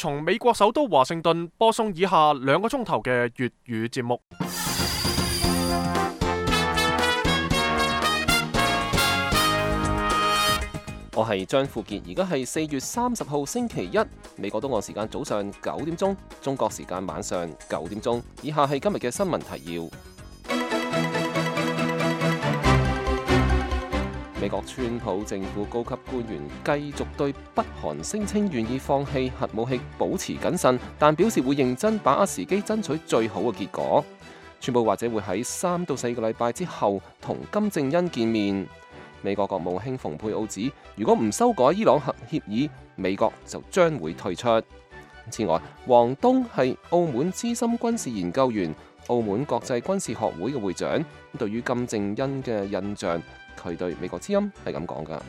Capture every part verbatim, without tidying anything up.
從美國首都華盛頓播送以下兩個鐘頭嘅粵語節目。我係張富傑，而家係四月三十號星期一，美國東岸時間早上九點鐘，中國時間晚上九點鐘。以下係今日嘅新聞提要。美國川普政府高級官員繼續對北韓聲稱願意放棄核武器保持謹慎，但表示會認真把握時機爭取最好嘅結果。川普或者會喺三到四個禮拜之後同金正恩見面。美國國務卿蓬佩奧指，如果唔修改伊朗核協議，美國就將會退出。此外，王東係澳門資深軍事研究員、澳門國際軍事學會嘅會長。對於金正恩嘅印象，佢對美國之音係咁講噶。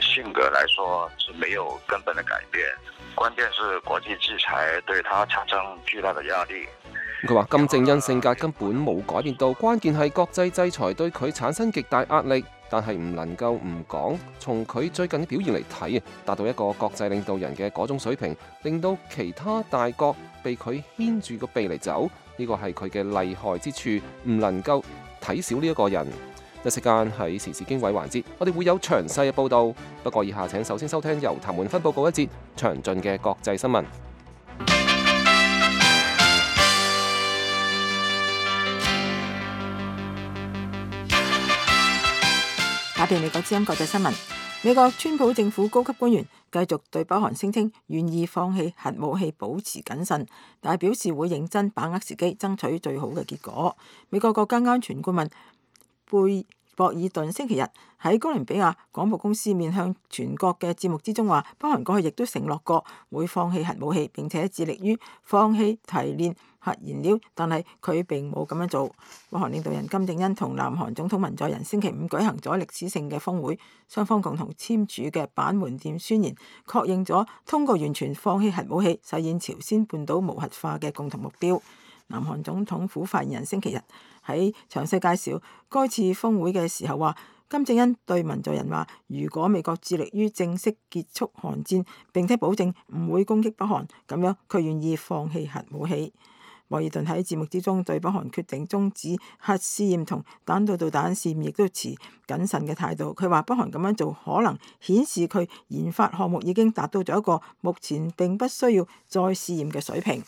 性格來說是沒有根本的改變，關鍵是國際制裁對他產生巨大的壓力。佢話金正恩性格根本冇改變到，關鍵係國際制裁對佢產生極大壓力，但係唔能夠唔講。從佢最近嘅表現嚟睇，達到一個國際領導人嘅嗰種水平，令到其他大國被佢牽住個鼻嚟走，呢個係佢嘅厲害之處，唔能夠睇小呢一個人。一時間喺時事經緯環節，我哋會有詳細嘅報導。不過以下請首先收聽由譚滿芬報告一節詳盡嘅國際新聞。打遍美國之音國際新聞。美國川普政府高級官員繼續對北韓聲稱願意放棄核武器保持謹慎，但係表示會認真把握時機，爭取最好嘅結果。美國國家安全顧問貝博爾頓星期日喺哥倫比亞廣播公司面向全國嘅節目之中話，北韓過去亦都承諾過會放棄核武器，並且致力於放棄提煉核燃料，但係佢並冇咁樣做。北韓領導人金正恩同南韓總統文在寅星期五舉行咗歷史性嘅峰會，雙方共同簽署嘅板門店宣言，確認咗通過完全放棄核武器，實現朝鮮半島無核化嘅共同目標。南韓總統府發言人星期日喺詳細介紹該次峰會嘅時候話，金正恩對文在寅話，如果美國致力於正式結束韓戰，並且保證唔會攻擊北韓，咁樣佢願意放棄核武器。博爾頓喺節目之中對北韓決定終止核試驗同彈道導彈試驗亦都持謹慎嘅態度。佢話北韓咁樣做可能顯示佢研發項目已經達到咗一個目前並不需要再試驗嘅水平。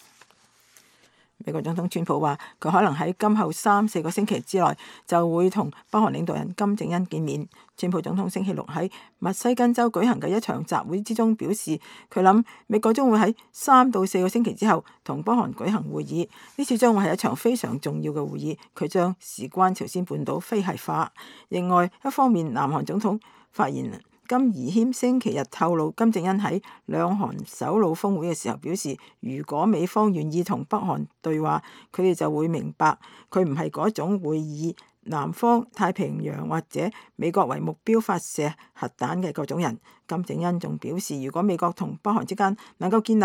美國總統川普話，佢可能喺今後三四個星期之內就會同北韓領導人金正恩見面。川普總統星期六喺密西根州舉行嘅一場集會之中表示，佢諗美國將會喺三到四個星期之後同北韓舉行會議，呢次將會係一場非常重要嘅會議，佢將事關朝鮮半島非核化。另外一方面，南韓總統發言人金宜謙星期日透露，金正恩喺兩韓首腦峰會嘅時候表示，如果美方願意同北韓對話，佢哋就會明白佢唔係嗰種會以南方太平洋或者美國為目標發射核彈嘅嗰種人。金正恩仲表示，如果美國同北韓之間能夠建立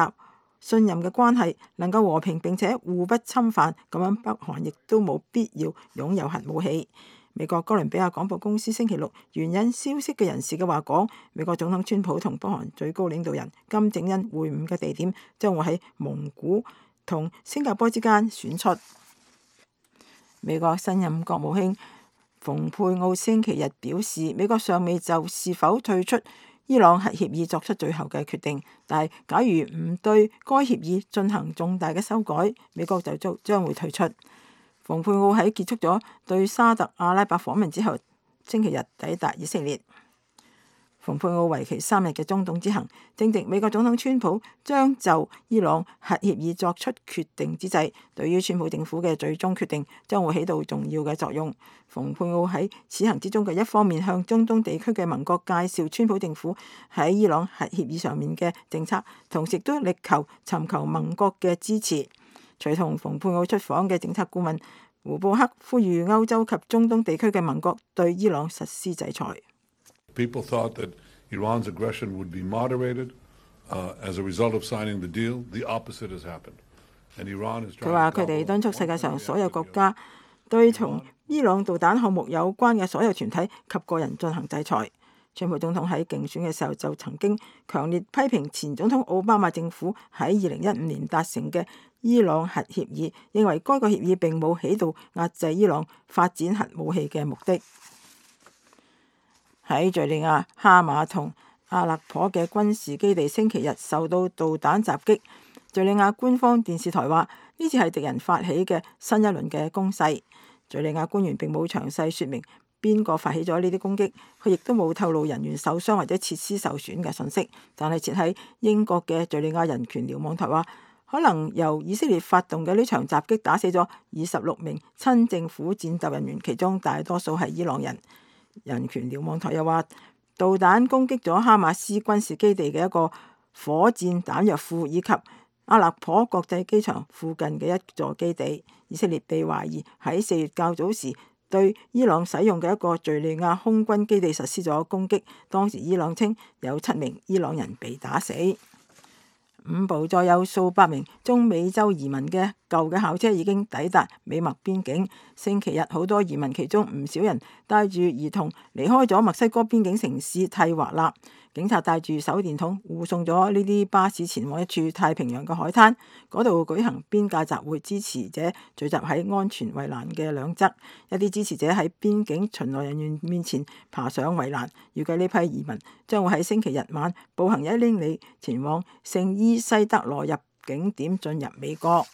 信任嘅關係，能夠和平並且互不侵犯，咁樣北韓亦都冇必要擁有核武器。美國哥倫比亞廣播公司星期六援引消息嘅人士嘅話講，美國總統川普同北韓最高領導人金正恩會晤嘅地點將會喺蒙古同新加坡之間選出。美國新任國務卿蓬佩奧星期日表示，美國尚未就是否退出伊朗核協議作出最後嘅決定，但係假如唔對該協議進行重大嘅修改，美國就將將會退出。蓬佩奧喺結束咗對沙特阿拉伯訪問之後，星期日抵達以色列。蓬佩奧為期三日嘅中東之行，正值美國總統川普將就伊朗核協議作出決定之際，對於川普政府嘅最終決定將會起到重要嘅作用。蓬佩奧喺此行之中嘅一方面向中東地區嘅盟國介紹川普政府喺伊朗核協議上面嘅政策，同時都力求尋求盟國嘅支持。隨同蓬佩奧出訪嘅政策顧問胡布克呼籲歐洲及中東地區嘅盟國對伊朗實施制裁。People thought that Iran's aggression would be moderated, uh, as a result of signing the deal. The opposite has happened. And Iran is trying to. 佢話佢哋敦促世界上所有國家對同伊朗導彈項目有關嘅所有團體及個人進行制裁。川普總統喺競選嘅時候就曾經強烈批評前總統奧巴馬政府喺二零一五年達成嘅伊朗核協議，認為該個協議並冇起到壓制伊朗發展核武器嘅目的。喺敘利亞哈馬同阿勒頗嘅軍事基地星期日受到導彈襲擊，敘利亞官方電視台話呢次係敵人發起嘅新一輪嘅攻勢。敘利亞官員並冇詳細說明邊個發起咗呢啲攻擊，佢亦都冇透露人員受傷或者設施受損嘅信息。但係設喺英國嘅敘利亞人權瞭望台話，可能由以色列發動嘅呢場襲擊打死咗二十六名親政府戰鬥人員，其中大多數係伊朗人。人權瞭望台又話，導彈攻擊咗哈馬斯軍事基地嘅一個火箭彈藥庫，以及阿勒頗國際機場附近嘅一座基地。以色列被懷疑喺四月較早時對伊朗使用嘅一個敘利亞空軍基地實施咗攻擊，當時伊朗稱有七名伊朗人被打死。五部載有數百名中美洲移民嘅舊嘅校車已經抵達美墨邊境。星期日好多移民，其中唔少人帶住兒童離開咗墨西哥邊境城市蒂華納。警察帶住手電筒護送咗呢啲巴士前往一處太平洋嘅海灘，嗰度舉行邊界集會，支持者聚集喺安全圍欄嘅兩側。一啲支持者喺邊境巡邏人員面前爬上圍欄。預計呢批移民將會喺星期日晚步行一英里前往聖伊西德羅入境點進入美國。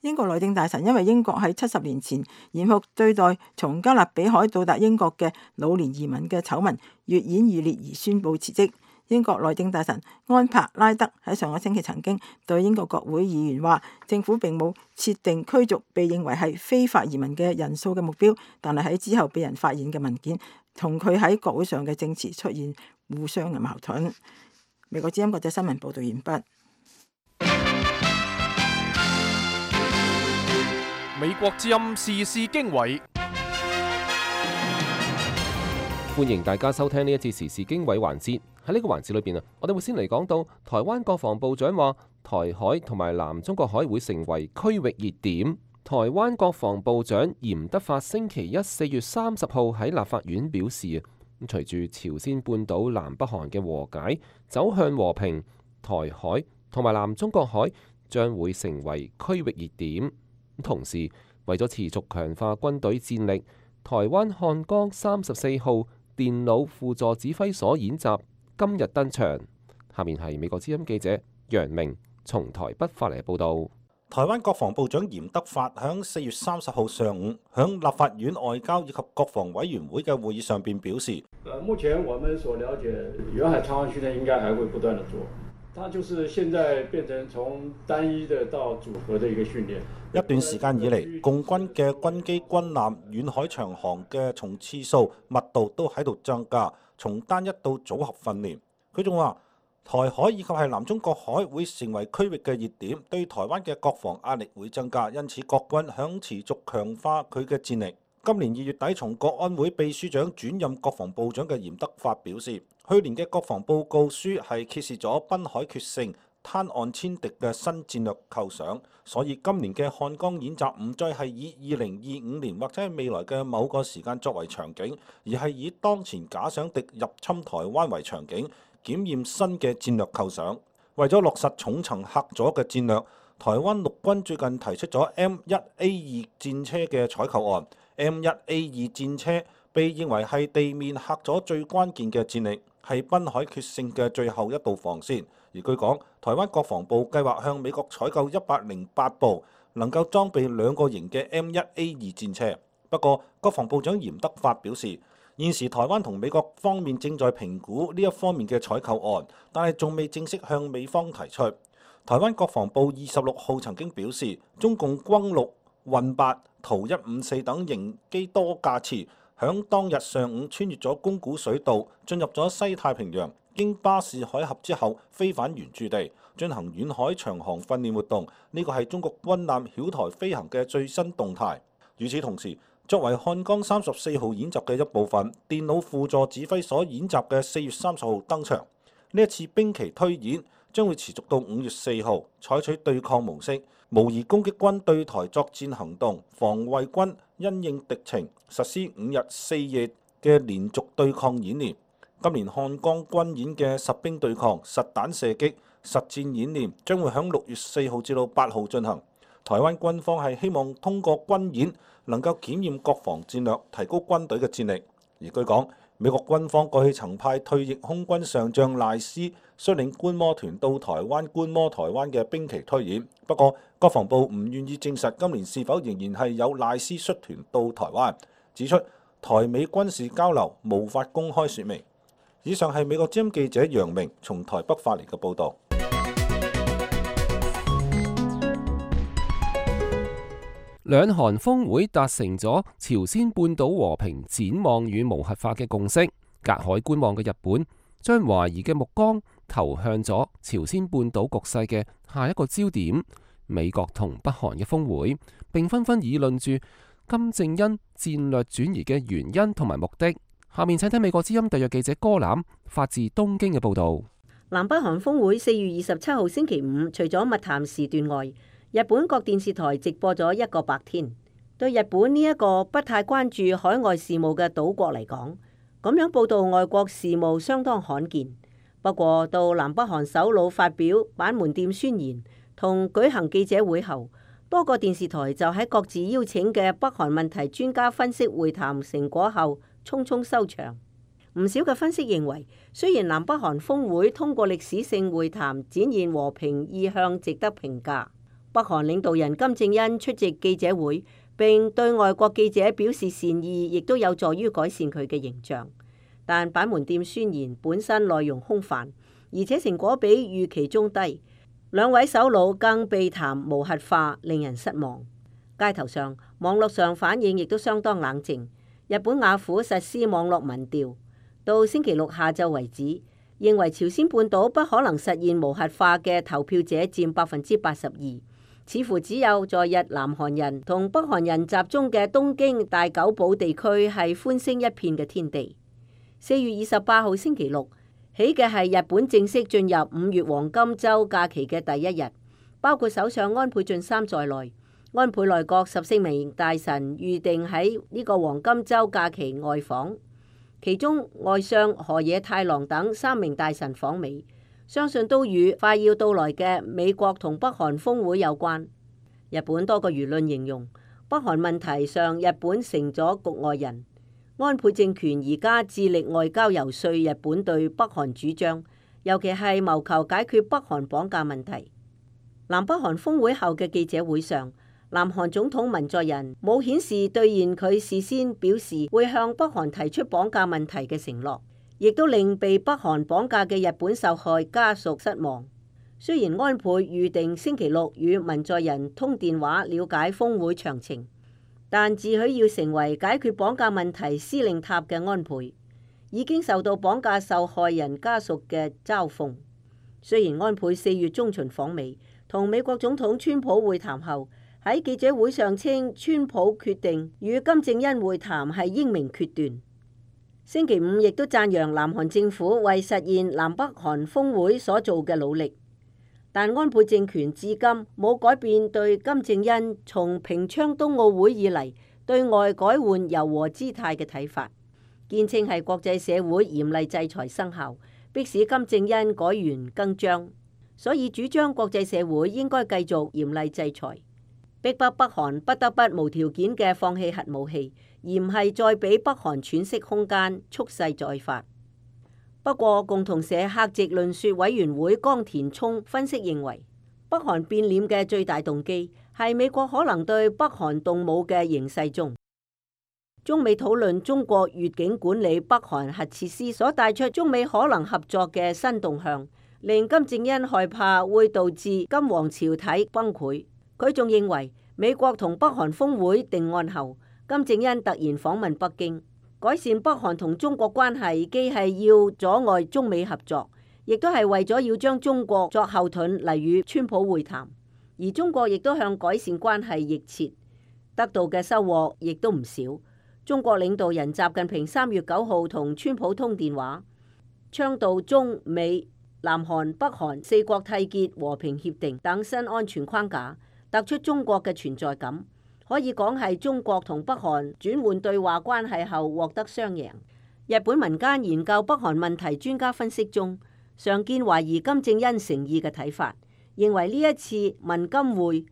英國內政大臣因為英國喺七十年前嚴酷對待從加勒比海到達英國嘅老年移民嘅醜聞越演越烈而宣布辭職。英國內政大臣安柏拉德喺上個星期曾經對英國國會議員話，政府並冇設定驅逐被認為係非法移民嘅人數嘅目標，但係喺之後被人發現嘅文件同佢喺國會上嘅證詞出現互相嘅矛盾。美國之音國際新聞報道完畢。美國之音時事經緯，歡迎大家收聽呢一次時事經緯環節。喺呢個環節裏邊啊，我哋會先嚟講到台灣國防部長話台海同埋南中國海會成為區域熱點。台灣國防部長嚴德發星期一四月三十號喺立法院表示啊，隨住朝鮮半島南北韓嘅和解走向和平，台海同埋南中國海將會成為區域熱點。同時，為咗持續強化軍隊戰力，台灣漢江三十四號電腦輔助指揮所演習今日登場。下面係美國之音記者楊明從台北發嚟報道。台灣國防部長嚴德發響四月三十號上午響立法院外交以及國防委員會嘅會議上邊表示，目前我們所了解，遠海長航訓練應該還會不斷地做。它就是現在變成從單一的到組合的一個訓練。一段時間以嚟，共軍嘅軍機、軍艦、遠海長航嘅從次數、密度都喺度增加，從單一到組合訓練。佢仲話，台海以及係南中國海會成為區域嘅熱點，對台灣嘅國防壓力會增加，因此國軍響持續強化佢嘅戰力。今年二月底，從國安會秘書長轉任國防部長嘅嚴德發表示，去年嘅國防報告書係揭示咗濱海決勝、灘岸殲敵嘅新戰略構想，所以今年嘅漢江演習唔再係以二零二五年或者係未來嘅某個時間作為場景，而係以當前假想敵入侵台灣為場景，檢驗新嘅戰略構想。為咗落實重層嚇阻嘅戰略，台灣陸軍最近提出咗 M 一 A 二戰車嘅採購案。M 一 A 二戰車被認為係地面嚇阻最關鍵嘅戰力，係濱海決勝嘅最後一道防線。而據講，台灣國防部計劃向美國採購一百零八部能夠裝備兩個型嘅 M 一 A 二戰車。不過，國防部長嚴德發表示，現時台灣同美國方面正在評估呢一方面嘅採購案，但係仲未正式向美方提出。台灣國防部二十六號曾經表示，中共轟六、運八、圖一五四等型機多架次響當日上午穿越咗宮古水道，進入咗西太平洋，經巴士海峽之後飛返原駐地，進行遠海長航訓練活動。呢個係中國軍艦曉台飛行嘅最新動態。與此同時，作為漢江三十四號演習嘅一部分，電腦輔助指揮所演習嘅四月三十號登場。呢一次兵棋推演將會持續到五月四號，採取對抗模式，模擬攻擊軍對台作戰行動，防衛軍因應敵情實施五日四夜嘅連續對抗演練。今年漢江軍演嘅實兵對抗、實彈射擊、實戰演練將會喺六月四號至到八號進行。台灣軍方係希望通過軍演能夠檢驗國防戰略，提高軍隊嘅戰力。而據講，美國軍方過去曾派退役空軍上將賴斯率領觀摩團到台灣觀摩台灣嘅兵棋推演。不過，國防部唔願意證實今年是否仍然係有賴斯率團到台灣，指出台美軍事交流無法公開説明。以上係美國之音記者楊明從台北發嚟嘅報導。兩韓峰會達成咗朝鮮半島和平展望與無核化嘅共識，隔海觀望嘅日本將懷疑嘅目光投向咗朝鮮半島局勢嘅下一個焦點——美國同北韓嘅峰會，並紛紛議論住金正恩戰略轉移嘅原因同埋目的。下面請聽美國之音特約記者歌欖發自東京嘅報導。南北韓峰會四月二十七號星期五，除咗密談時段外，日本各電視台直播咗一個白天。對日本呢一個不太關注海外事務嘅島國嚟講，咁樣報導外國事務相當罕見。不過到南北韓首腦發表板門店宣言同舉行記者會後，多個電視台就喺各自邀請嘅北韓問題專家分析會談成果後匆匆收場。唔少嘅分析認為，雖然南北韓峰會通過歷史性會談展現和平意向值得評價，北韓領導人金正恩出席記者會並對外國記者表示善意，亦都有助於改善佢嘅形象。但板門店宣言本身內容空泛，而且成果比預期中低。兩位首腦更避談無核化，令人失望。街頭上、網絡上反應亦都相當冷靜。日本雅虎實施網絡民調，到星期六下晝為止，認為朝鮮半島不可能實現無核化嘅投票者佔百分之八十二。似乎只有在日南韓人同北韓人集中嘅東京大久保地區係歡聲一片嘅天地。四月二十八號星期六起嘅係日本正式進入五月黃金週假期嘅第一日，包括首相安倍晉三在內，安倍內閣十四名大臣預定喺呢個黃金週假期外訪，其中外相河野太郎等三名大臣訪美。相信都與快要到來嘅美國同北韓峰會有關。日本多個輿論形容北韓問題上，日本成咗局外人。安倍政權而家致力外交游說日本對北韓主張，尤其係謀求解決北韓綁架問題。南北韓峰會後嘅記者會上，南韓總統文在寅冇顯示兌現佢事先表示會向北韓提出綁架問題嘅承諾，亦都令被北韓綁架嘅日本受害家屬失望。雖然安倍預定星期六與文在寅通電話了解峰會詳情，但自詡要成為解決綁架問題司令塔嘅安倍，已經受到綁架受害人家屬嘅嘲諷。雖然安倍四月中旬訪美，同美國總統川普會談後，喺記者會上稱川普決定與金正恩會談係英明決斷。星期五亦都讚揚南韓政府為實現南北韓峰會所做嘅努力，但安倍政權至今冇改變對金正恩從平昌冬奧會以嚟對外改換柔和姿態嘅睇法，堅稱係國際社會嚴厲制裁生效，迫使金正恩改弦更張，所以主張國際社會應該繼續嚴厲制裁，逼迫北韓不得不無條件嘅放棄核武器，而唔係再俾北韓喘息空間，蓄勢再發。不過，共同社客席論說委員會江田聰分析認為，北韓變臉嘅最大動機係美國可能對北韓動武嘅形勢中，中美討論中國越境管理北韓核設施所帶出中美可能合作嘅新動向，令金正恩害怕會導致金黃朝體崩潰。佢仲認為，美國同北韓峰會定案後，金正恩突然訪問北京，改善北韓同中國關係，既係要阻礙中美合作，亦都係為咗要將中國作後盾嚟與川普會談。而中國亦都向改善關係逆切，得到嘅收穫亦都唔少。中國領導人習近平三月九號同川普通電話，倡導中美、南韓、北韓四國締結和平協定等新安全框架，突出中國嘅存在感。可以講係中國同北韓轉換對話關係後獲得雙贏。日本民間研究北韓問題專家分析中，常見懷疑金正恩誠意嘅睇法，認為呢一次文金會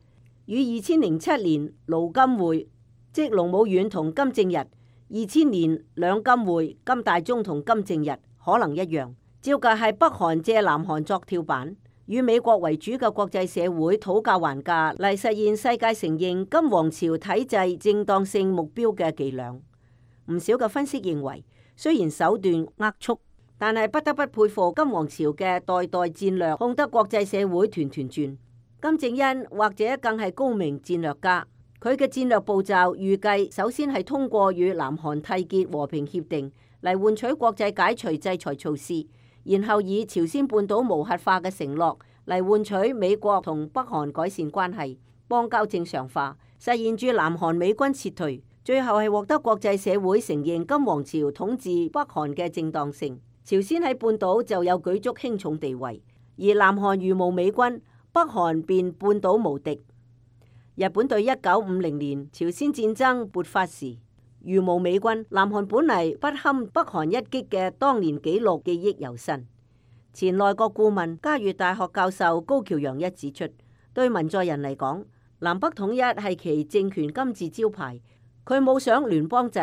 與二千零七年盧金會，即盧武鉉同金正日，二千年兩金會金大中同金正日可能一樣，照計係北韓借南韓作跳板，與美國為主嘅國際社會討價還價嚟實現世界承認金王朝體制正當性目標嘅伎倆。唔少嘅分析認為，雖然手段齷齪，但係不得不佩服金王朝嘅代代戰略控得國際社會團團轉。金正恩或者更係高明戰略家，佢嘅戰略步驟預計首先係通過與南韓締結和平協定嚟換取國際解除制裁措施，然後以朝鮮半島無核化嘅承諾嚟換取美國同北韓改善關係、邦交正常化，實現住南韓美軍撤退。最後係獲得國際社會承認金王朝統治北韓嘅正當性，朝鮮喺半島就有舉足輕重地位，而南韓如無美軍，北韓便半島無敵。日本對一九五零年朝鮮戰爭勃發時，如無美軍，南韓本嚟不堪北韓一擊嘅當年紀錄記憶猶新。前內閣顧問嘉義大學教授高橋洋一指出，對文在寅嚟講，南北統一係其政權金字招牌。佢冇想聯邦制，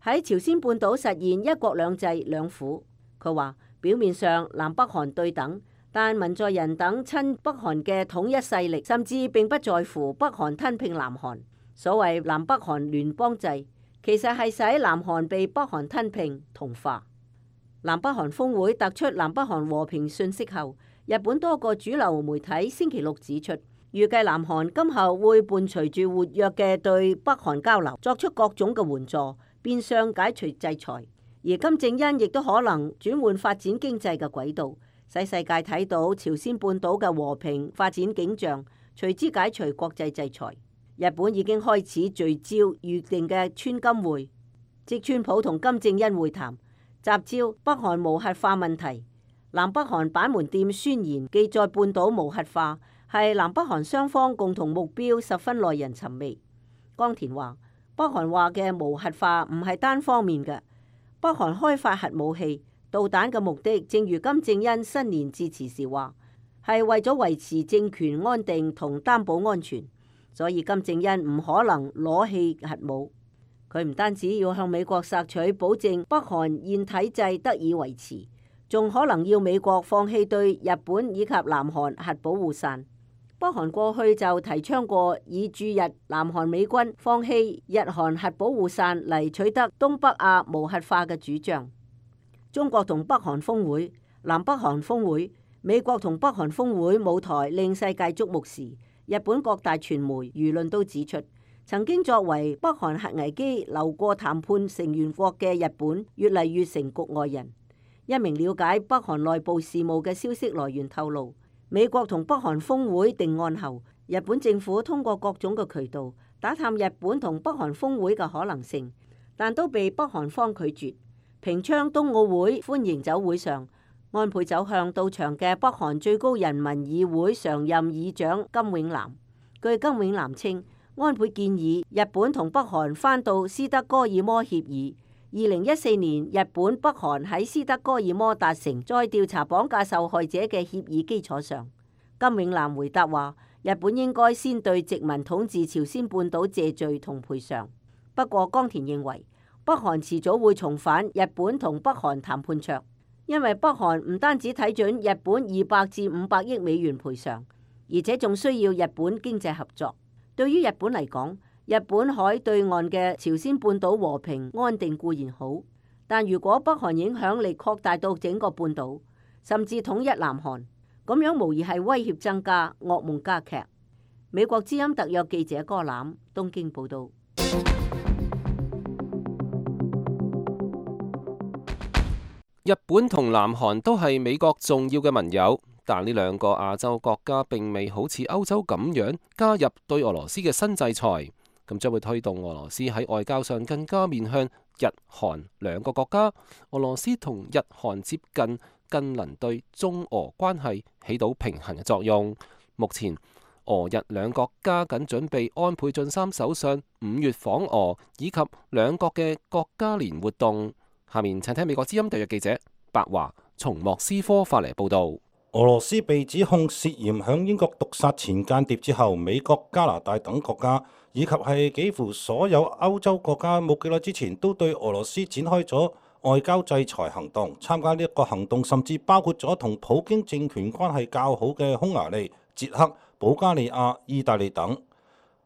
喺朝鮮半島實現一國兩制兩府。佢話表面上南北韓對等，但文在寅等親北韓嘅統一勢力甚至並不在乎北韓吞併南韓。所謂南北韓聯邦制，其實係使南韓被北韓吞併同化。南北韓峰會突出南北韓和平訊息後，日本多個主流媒體星期六指出，預計南韓今後會伴隨住活躍嘅對北韓交流，作出各種嘅援助，變相解除制裁。而金正恩亦都可能轉換發展經濟嘅軌道，使世界睇到朝鮮半島嘅和平發展景象，隨之解除國際制裁。日本已經開始聚焦預定嘅川金會，即川普同金正恩會談，集焦北韓無核化問題。南北韓板門店宣言記載半島無核化，係南北韓雙方共同目標，十分耐人尋味。江田話：北韓話嘅無核化唔係單方面嘅，北韓開發核武器、導彈嘅目的，正如金正恩新年致辭時話，係為咗維持政權安定同擔保安全。所以金正恩唔可能攞棄核武。佢唔單止要向美國索取保證北韓現體制得以維持，仲可能要美國放棄對日本以及南韓核保護傘。北韓過去就提倡過以駐日南韓美軍放棄日韓核保護傘嚟取得東北亞無核化嘅主張。中國同北韓峰會、南北韓峰會、美國同北韓峰會舞台令世界矚目時，日本各大傳媒輿論都指出，曾經作為北韓核危機流過談判成員國嘅日本，越嚟越成局外人。一名了解北韓內部事務嘅消息來源透露，美國同北韓峰會定案後，日本政府通過各種嘅渠道打探日本同北韓峰會嘅可能性，但都被北韓方拒絕。平昌冬奧會歡迎酒會上，安倍走向到場嘅北韓最高人民議會常任議長金永南。據金永南稱，安倍建議日本同北韓返到斯德哥爾摩協議。二零一四年，日本北韓喺斯德哥爾摩達成再調查綁架受害者嘅協議基礎上，金永南回答話：日本應該先對殖民統治朝鮮半島謝罪同賠償。不過江田認為，北韓遲早會重返日本同北韓談判桌，因為北韓唔單止睇準日本二百至五百億美元賠償，而且仲需要日本經濟合作。對於日本嚟講，日本海對岸嘅朝鮮半島和平安定固然好，但如果北韓影響力擴大到整個半島，甚至統一南韓，咁樣無疑係威脅增加，噩夢加劇。美國之音特約記者柯攬東京報道。日本同南韓都係美國重要嘅盟友，但呢兩個亞洲國家並未好似歐洲咁樣加入對俄羅斯嘅新制裁。咁將會推動俄羅斯喺外交上更加面向日韓兩個國家。俄羅斯同日韓接近，更能對中俄關係起到平衡嘅作用。目前俄日兩國加緊準備安倍晉三首相五月訪俄，以及兩國嘅國家年活動。下面請聽美國之音特約記者白華從莫斯科發嚟報導。俄羅斯被指控涉嫌響英國毒殺前間諜之後，美國、加拿大等國家以及係幾乎所有歐洲國家冇幾耐之前都對俄羅斯展開咗外交制裁行動。參加呢一個行動甚至包括咗同普京政權關係較好嘅匈牙利、捷克、保加利亞、意大利等。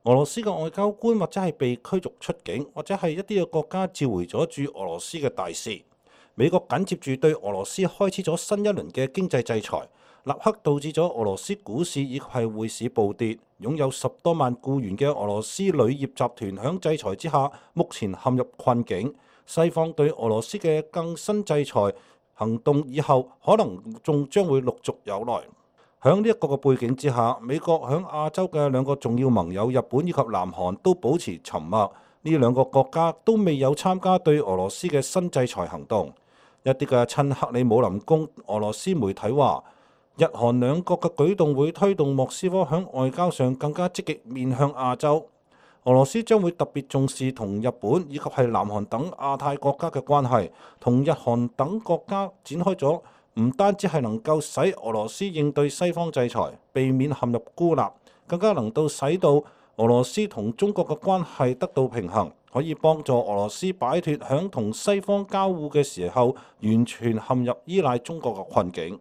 俄羅斯嘅外交官或者係被驅逐出境，或者係一啲嘅國家召回咗駐俄羅斯嘅大使。美國緊接住對俄羅斯開始咗新一輪嘅經濟制裁，立刻導致咗俄羅斯股市以及係匯市暴跌。擁有十多萬僱員嘅俄羅斯鋁業集團響制裁之下，目前陷入困境。西方對俄羅斯嘅更新制裁行動以後，可能仲將會陸續有來。喺呢一個嘅背景之下，美國喺亞洲嘅兩個重要盟友日本以及南韓都保持沉默。呢兩個國家都未有參加對俄羅斯嘅新制裁行動。一啲嘅親克里姆林宮俄羅斯媒體話，日韓兩國嘅舉動會推動莫斯科喺外交上更加積極面向亞洲。俄羅斯將會特別重視同日本以及係南韓等亞太國家嘅關係，同日韓等國家展開咗唔單止係能夠使俄羅斯應對西方制裁，避免陷入孤立，更加能夠使到俄羅斯同中國嘅關係得到平衡，可以幫助俄羅斯擺脫響同西方交互嘅時候完全陷入依賴中國嘅困境。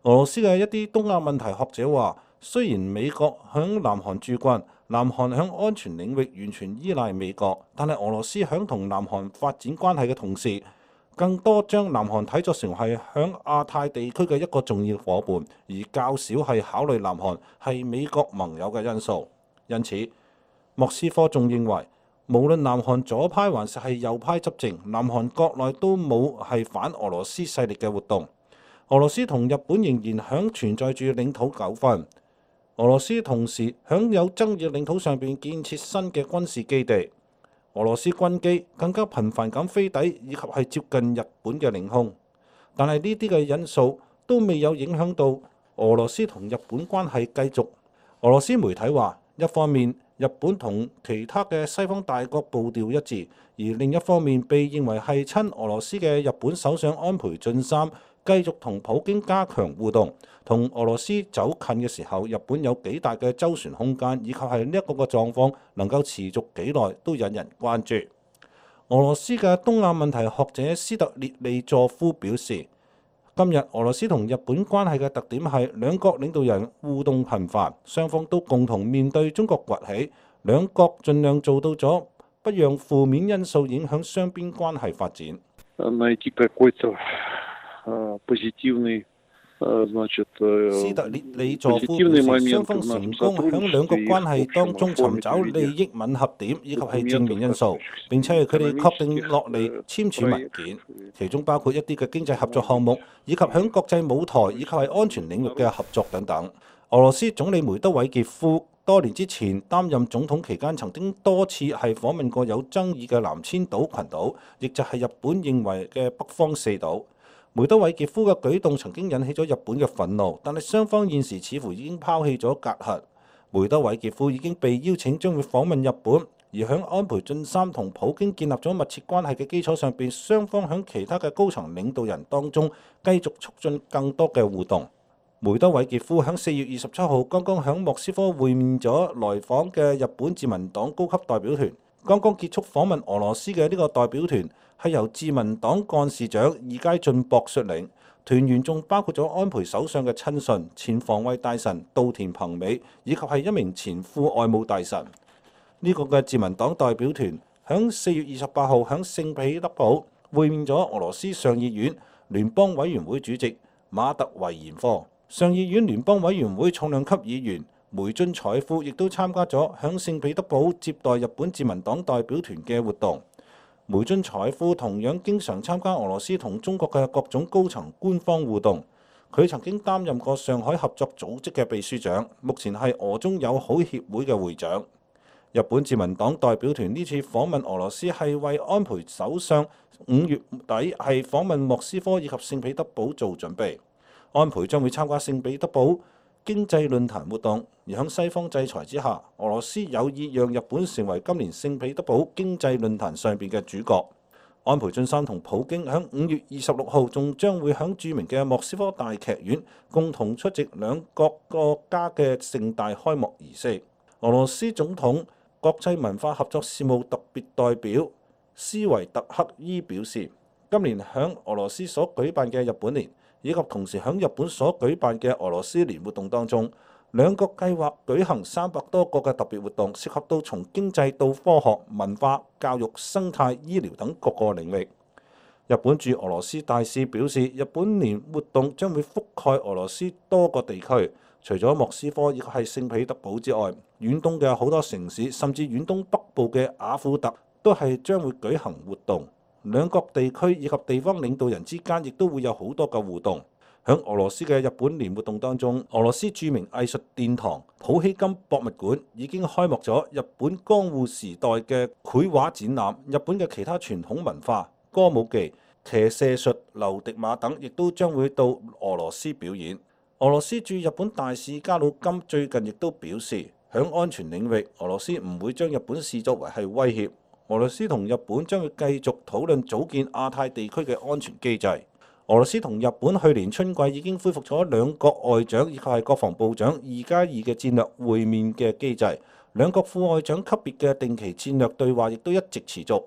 俄羅斯嘅一啲東亞問題學者話，雖然美國響南韓駐軍，南韓響安全領域完全依賴美國，但係俄羅斯響同南韓發展關係嘅同時，更多將南韓睇作成係響亞太地區嘅一個重要夥伴，而較少係考慮南韓係美國盟友嘅因素。因此，莫斯科仲認為，無論南韓左派還是係右派執政，南韓國內都冇係反俄羅斯勢力嘅活動。俄羅斯同日本仍然響存在住領土糾紛。俄羅斯同時響有爭議領土上邊建設新嘅軍事基地。俄羅斯軍機更加頻繁咁飛抵以及係接近日本嘅領空。但係呢啲嘅因素都未有影響到俄羅斯同日本關係繼續。俄羅斯媒體話，一方面日本同其他嘅西方大國步調一致，而另一方面被認為係親俄羅斯嘅日本首相安倍晉三繼續同普京加強互動，同俄羅斯走近嘅時候，日本有幾大嘅周旋空間，以及係呢一個嘅狀況能夠持續幾耐都引人關注。俄羅斯嘅東亞問題學者斯特列利佐夫表示，今日俄羅斯同日本關係嘅特點係兩國領導人互動頻繁，雙方都共同面對中國崛起，兩國盡量做到咗不讓負面因素影響雙邊關係發展。斯特列里佐夫表示，雙方成功喺兩國關係當中尋找利益吻合點以及係正面因素，並且係佢哋確定落嚟簽署文件，其中包括一啲嘅經濟合作項目，以及喺國際舞台以及係安全領域嘅合作等等。俄羅斯總理梅德韋傑夫多年之前擔任總統期間，曾經多次係訪問過有爭議嘅南千島群島，亦就係日本認為嘅北方四島。梅德韋傑夫嘅舉動曾經引起咗日本嘅憤怒，但係雙方現時似乎已經拋棄咗隔閡。梅德韋傑夫已經被邀請將會訪問日本，而響安倍晉三同普京建立咗密切關係嘅基礎上邊，雙方響其他嘅高層領導人當中繼續促進更多嘅互動。梅德韋傑夫響四月二十七號剛剛響莫斯科會面咗來訪嘅日本自民黨高級代表團。剛剛結束訪問俄羅斯嘅呢個代表團係由自民黨幹事長二階俊博率領，團員仲包括咗安倍首相嘅親信、前防衛大臣稻田朋美，以及係一名前副外務大臣。呢、這個嘅自民黨代表團響四月二十八號響聖彼得堡會面咗俄羅斯上議院聯邦委員會主席馬特維延科。上議院聯邦委員會重量級議員梅津采夫亦都參加咗響聖彼得堡接待日本自民黨代表團嘅活動。梅津采夫同樣經常參加俄羅斯同中國嘅各種高層官方互動。佢曾經擔任過上海合作組織嘅秘書長，目前係俄中友好協會嘅會長。日本自民黨代表團呢次訪問俄羅斯係為安倍首相五月底係訪問莫斯科以及聖彼得堡做準備。安倍將會參加聖彼得堡經濟論壇活動，而喺西方制裁之下，俄羅斯有意讓日本成為今年聖彼得堡經濟論壇上邊嘅主角。安倍晉三同普京喺五月二十六號仲將會喺著名嘅莫斯科大劇院共同出席兩國國家嘅盛大開幕儀式。俄羅斯總統國際文化合作事務特別代表斯維特克伊表示，今年喺俄羅斯所舉辦嘅日本年，以及同時喺日本所舉辦嘅俄羅斯年活動當中，兩國計劃舉行三百多個嘅特別活動，涉及到從經濟到科學、文化、教育、生態、醫療等各個領域。日本駐俄羅斯大使表示，日本年活動將會覆蓋俄羅斯多個地區，除咗莫斯科亦係聖彼得堡之外，遠東嘅好多城市，甚至遠東北部嘅雅庫特都係將會舉行活動。兩國地區以及地方領導人之間亦都會有好多嘅互動。喺俄羅斯嘅日本年活動當中，俄羅斯著名藝術殿堂普希金博物館已經開幕咗日本江戶時代嘅繪畫展覽，日本嘅其他傳統文化、歌舞伎、騎射術、流迪馬等，亦都將會到俄羅斯表演。俄羅斯駐日本大使加魯金最近亦都表示，喺安全領域，俄羅斯唔會將日本視作為係威脅。俄羅斯同日本將會繼續討論組建亞太地區嘅安全機制。俄羅斯同日本去年春季已經恢復咗兩國外長以及係國防部長二加二嘅戰略會面嘅機制，兩國副外長級別嘅定期戰略對話亦都一直持續。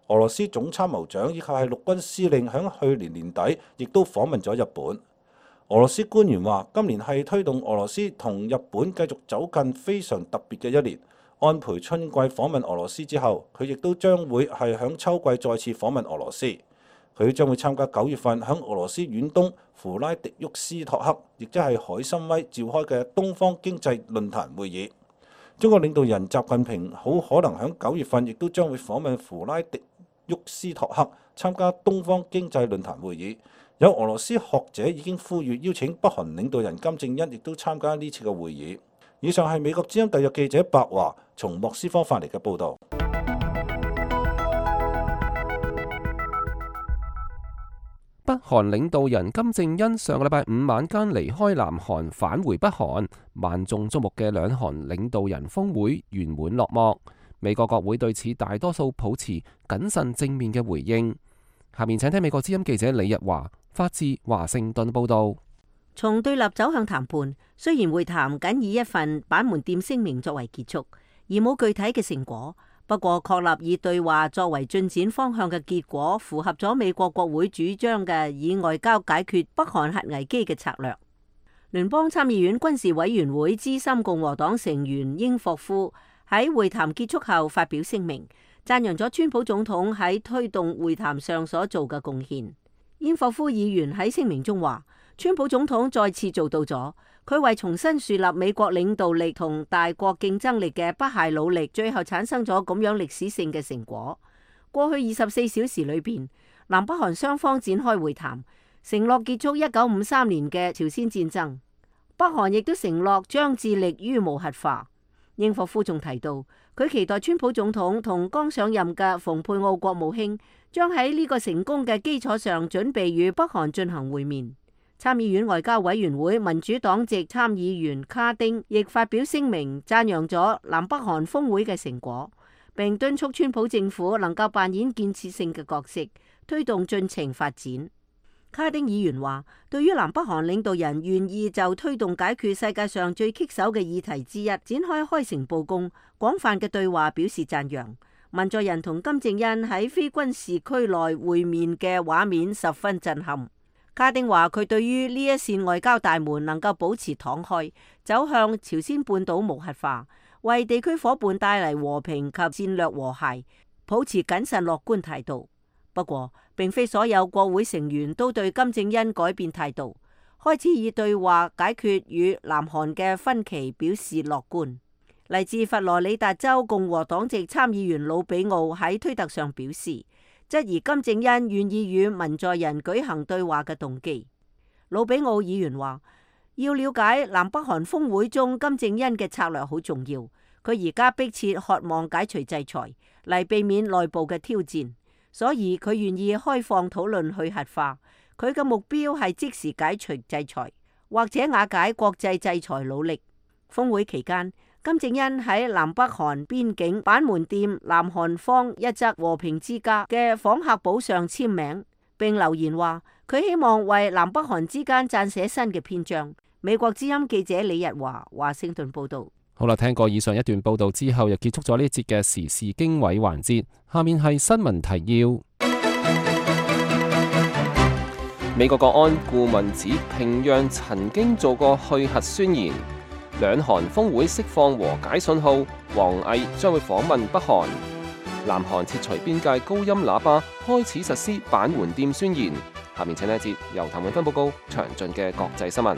俄羅斯總參謀長以及係陸軍司令喺去年年底亦都訪問咗日本。俄羅斯官員話，今年係推動俄羅斯同日本繼續走近非常特別嘅一年。安倍春季訪問俄羅斯之後，佢亦都將會係響秋季再次訪問俄羅斯。佢將會參加九月份響俄羅斯遠東弗拉迪沃斯托克，亦即係海參崴召開嘅東方經濟論壇會議。中國領導人習近平好可能響九月份亦都將會訪問弗拉迪沃斯托克，參加東方經濟論壇會議。有俄羅斯學者已經呼籲邀請北韓領導人金正恩亦都參加呢次嘅會議。以上係美國之音特約記者白華從莫斯科發嚟嘅報導。北韓領導人金正恩上個禮拜五晚間離開南韓返回北韓，萬眾矚目嘅兩韓領導人峰會圓滿落幕。美國國會對此大多數抱持謹慎正面嘅回應。下面請聽美國之音記者李日華發自華盛頓報導。從對立走向談判，雖然會談僅以一份板門店聲明作為結束，而冇具體嘅成果。不過確立以對話作為進展方向嘅結果，符合咗美國國會主張嘅以外交解決北韓核危機嘅策略。聯邦參議院軍事委員會資深共和黨成員英霍夫喺會談結束後發表聲明，讚揚咗川普總統喺推動會談上所做嘅貢獻。英霍夫議員喺聲明中話，川普總統再次做到咗佢為重新樹立美國領導力同大國競爭力嘅不懈努力，最後產生咗咁樣歷史性嘅成果。過去二十四小時裏邊，南北韓雙方展開會談，承諾結束一九五三年嘅朝鮮戰爭。北韓亦都承諾將致力於無核化。英霍夫仲提到，佢期待川普總統同剛上任嘅蓬佩奧國務卿將喺呢個成功嘅基礎上，準備與北韓進行會面。參議院外交委員會民主黨籍參議員卡丁亦發表聲明，讚揚咗南北韓峰會嘅成果，並敦促川普政府能夠扮演建設性嘅角色，推動進程發展。卡丁議員話，對於南北韓領導人願意就推動解決世界上最棘手嘅議題之一展開開誠佈公、廣泛嘅對話表示讚揚。文在寅同金正恩喺非軍事區內會面嘅畫面十分震撼。卡丁話，佢對於呢一扇外交大門能夠保持敞開，走向朝鮮半島無核化，為地區夥伴帶嚟和平及戰略和諧，保持謹慎樂觀態度。不過，並非所有國會成員都對金正恩改變態度，開始以對話解決與南韓嘅分歧表示樂觀。嚟自佛羅里達州共和黨籍參議員魯比奧喺推特上表示，質疑金正恩願意與文在寅舉行對話嘅動機。魯比奧議員話，要了解南北韓峰會中金正恩嘅策略好重要，佢而家迫切渴望解除制裁嚟避免內部嘅挑戰，所以佢願意開放討論去核化。佢嘅目標係即時解除制裁或者瓦解國際制裁努力。峰會期間，金正恩喺南北韓邊境板門店南韓方一則和平之家嘅訪客簿上簽名，並留言話佢希望為南北韓之間撰寫新嘅篇章。美國之音記者李日華華盛頓報道。好啦，聽過以上一段報道之後，又結束咗呢一節嘅時事經緯環節。下面係新聞提要。美國國安顧問指平壤曾經做過去核宣言。兩韓峰會釋放和解信號，王毅將會訪問北韓。南韓撤除邊界高音喇叭，開始實施板門店宣言。下面請呢一節由譚永芬報告詳盡嘅國際新聞。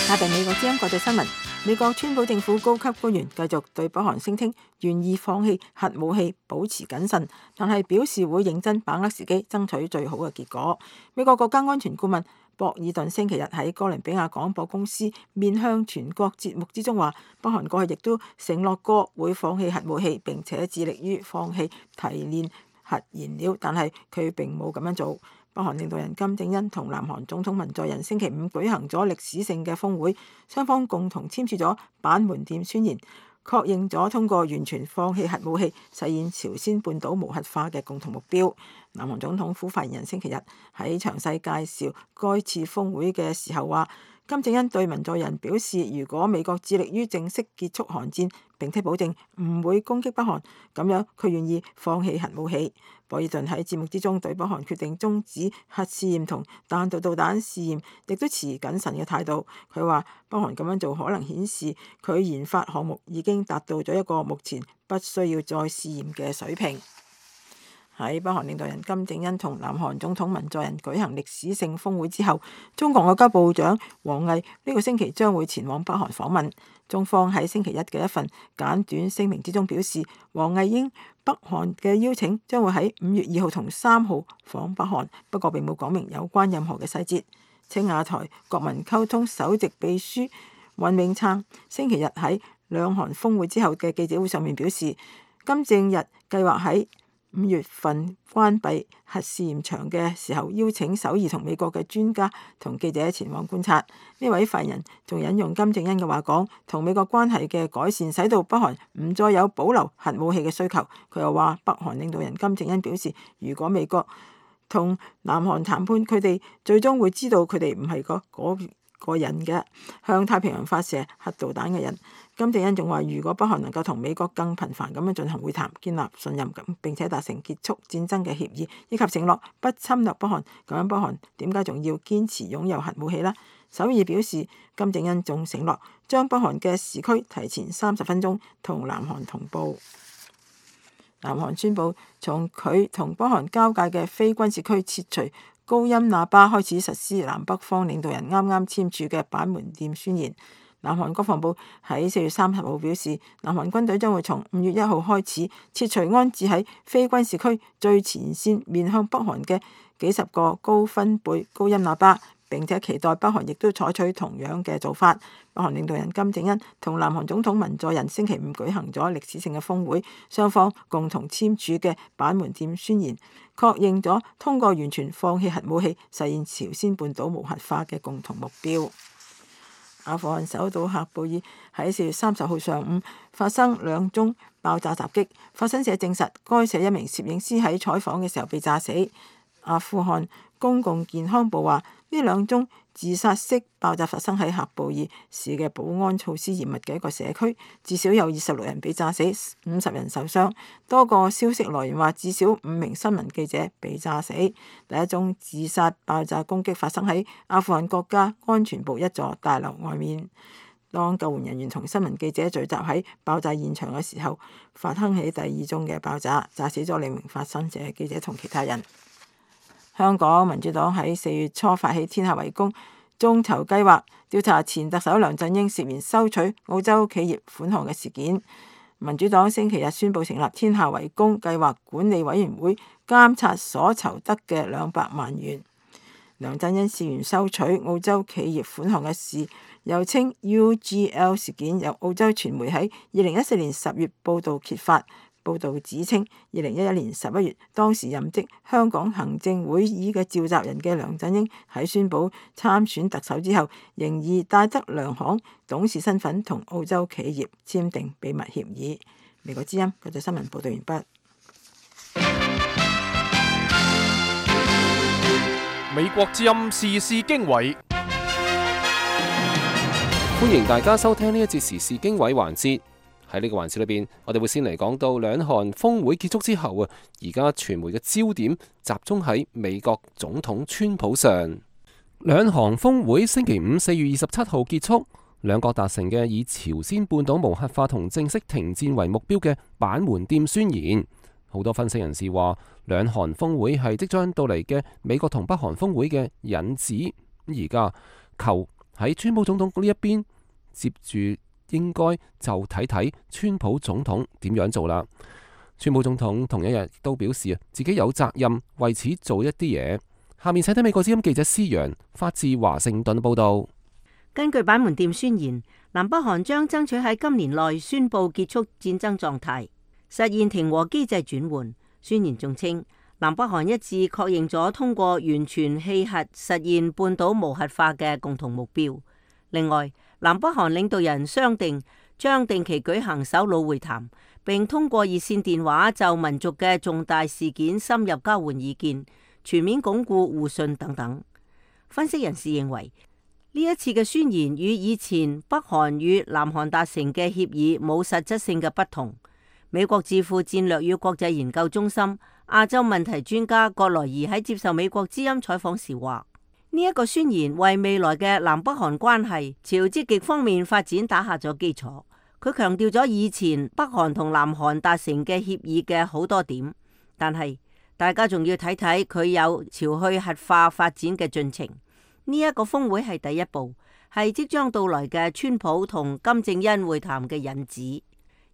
下邊美國之音國際新聞。美國川普政府高級官員繼續對北韓聲稱願意放棄核武器，保持謹慎，但係表示會認真把握時機，爭取最好嘅結果。美國國家安全顧問博爾頓星期日喺哥倫比亞廣播公司面向全國節目之中話，北韓過去亦都承諾過會放棄核武器，並且致力於放棄提煉核燃料，但係佢並冇咁樣做。北韓領導人金正恩同南韓總統文在寅星期五舉行咗歷史性嘅峰會，雙方共同簽署咗板門店宣言，確認咗通過完全放棄核武器，實現朝鮮半島無核化嘅共同目標。南韓總統府發言人星期日喺詳細介紹該次峰會嘅時候話，金正恩對文在寅表示，如果美國致力於正式結束韓戰，並且保證唔會攻擊北韓，咁樣佢願意放棄核武器。博爾頓喺節目之中對北韓決定終止核試驗同彈道導彈試驗，亦都持謹慎嘅態度。佢話北韓咁樣做可能顯示佢研發項目已經達到咗一個目前不需要再試驗嘅水平。喺北韓領導人金正恩同南韓總統文在寅舉行歷史性峰會之後，中國外交部長王毅呢個星期將會前往北韓訪問。中方喺星期一嘅一份簡短聲明之中表示，王毅應北韓嘅邀請，將會喺五月二號同三號訪北韓，不過並冇講明有關任何嘅細節。青瓦台國民溝通首席秘書尹永燦星期日喺兩韓峰會之後嘅記者會上面表示，金正日計劃喺五月份關閉核試驗場嘅時候，邀請首爾同美國嘅專家同記者前往觀察。呢位發言人仲引用金正恩嘅話講，同美國關係嘅改善使到北韓唔再有保留核武器嘅需求。佢又話，北韓領導人金正恩表示，如果美國同南韓談判，佢哋最終會知道佢哋唔係個嗰個人嘅向太平洋發射核導彈嘅人。金正恩仲話，如果北韓能夠同美國更頻繁咁樣進行會談，建立信任感，並且達成結束戰爭嘅協議，以及承諾不侵略北韓，咁樣北韓點解仲要堅持擁有核武器呢？首爾表示，金正恩仲承諾將北韓嘅時區提前三十分鐘同南韓同步。南韓宣布從佢同北韓交界嘅非軍事區撤除高音喇叭，開始實施南北方領導人啱啱簽署嘅板門店宣言。南韓國防部喺四月三十號表示，南韓軍隊將會從五月一號開始撤除安置喺非軍事區最前線面向北韓嘅幾十個高分貝高音喇叭，並且期待北韓亦都採取同樣嘅做法。北韓領導人金正恩同南韓總統文在寅星期五舉行咗歷史性嘅峰會，雙方共同簽署嘅板門店宣言，確認咗通過完全放棄核武器，實現朝鮮半島無核化嘅共同目標。阿富汗首都喀布爾喺四月三十號上午發生兩宗爆炸襲擊，發生社證實該社一名攝影師喺採訪嘅時候被炸死。阿富汗公共健康部話，呢兩宗自殺式爆炸發生喺喀布爾市嘅保安措施嚴密嘅一個社區，至少有二十六人被炸死，五十人受傷。多個消息來源話，至少五名新聞記者被炸死。第一宗自殺爆炸攻擊發生喺阿富汗國家安全部一座大樓外面。當救援人員同新聞記者聚集喺爆炸現場嘅時候，發生起第二宗嘅爆炸，炸死咗兩名發生者記者同其他人。香港民主黨喺四月初發起天下為公眾籌計劃，調查前特首梁振英涉嫌收取澳洲企業款項嘅事件。民主黨星期日宣布成立天下為公計劃管理委員會，監察所籌得嘅兩百萬元。梁振英涉嫌收取澳洲企業款項嘅事，又稱 U G L 事件，由澳洲傳媒喺二零一四年十月報導揭發，報導指稱，二零一一年十一月，當時任職香港行政會議嘅召集人嘅梁振英喺宣布參選特首之後，仍然戴德梁行董事身份同澳洲企業簽訂秘密協議。美國之音嗰則新聞報導完畢。美國之音時事經緯，歡迎大家收聽呢一節時事經緯環節。喺呢個環節裏邊，我哋會先嚟講到兩韓峰會結束之後啊，而家傳媒嘅焦點集中喺美國總統川普上。兩韓峰會星期五四月二十七號結束，兩國達成嘅以朝鮮半島無核化同正式停戰為目標嘅板門店宣言。好多分析人士話，兩韓峰會係即將到嚟嘅美國同北韓峰會嘅引子。而家求喺川普總統呢一邊接住。應該就睇睇川普總統點樣做啦。川普總統同一日都表示啊，自己有責任為此做一啲嘢。下面請睇美國之音記者施洋發自華盛頓報道。根據板門店宣言，南北韓將爭取喺今年內宣布結束戰爭狀態，實現停和機制轉換。宣言仲稱，南北韓一致確認咗通過完全棄核實現半島無核化嘅共同目標。另外，南北韓領導人商定將定期舉行首腦會談，並通過熱線電話就民族嘅重大事件深入交換意見，全面鞏固互信等等。分析人士認為，呢一次嘅宣言與以前北韓與南韓達成嘅協議冇實質性嘅不同。美國智庫戰略與國際研究中心亞洲問題專家葛萊儀喺接受美國之音採訪時話，呢一個宣言為未來嘅南北韓關係朝積極方面發展打下咗基礎。佢強調咗以前北韓同南韓達成嘅協議嘅好多點，但係大家仲要睇睇佢有朝去核化發展嘅進程。呢、這、一個峰會係第一步，係即將到來嘅川普同金正恩會談嘅引子。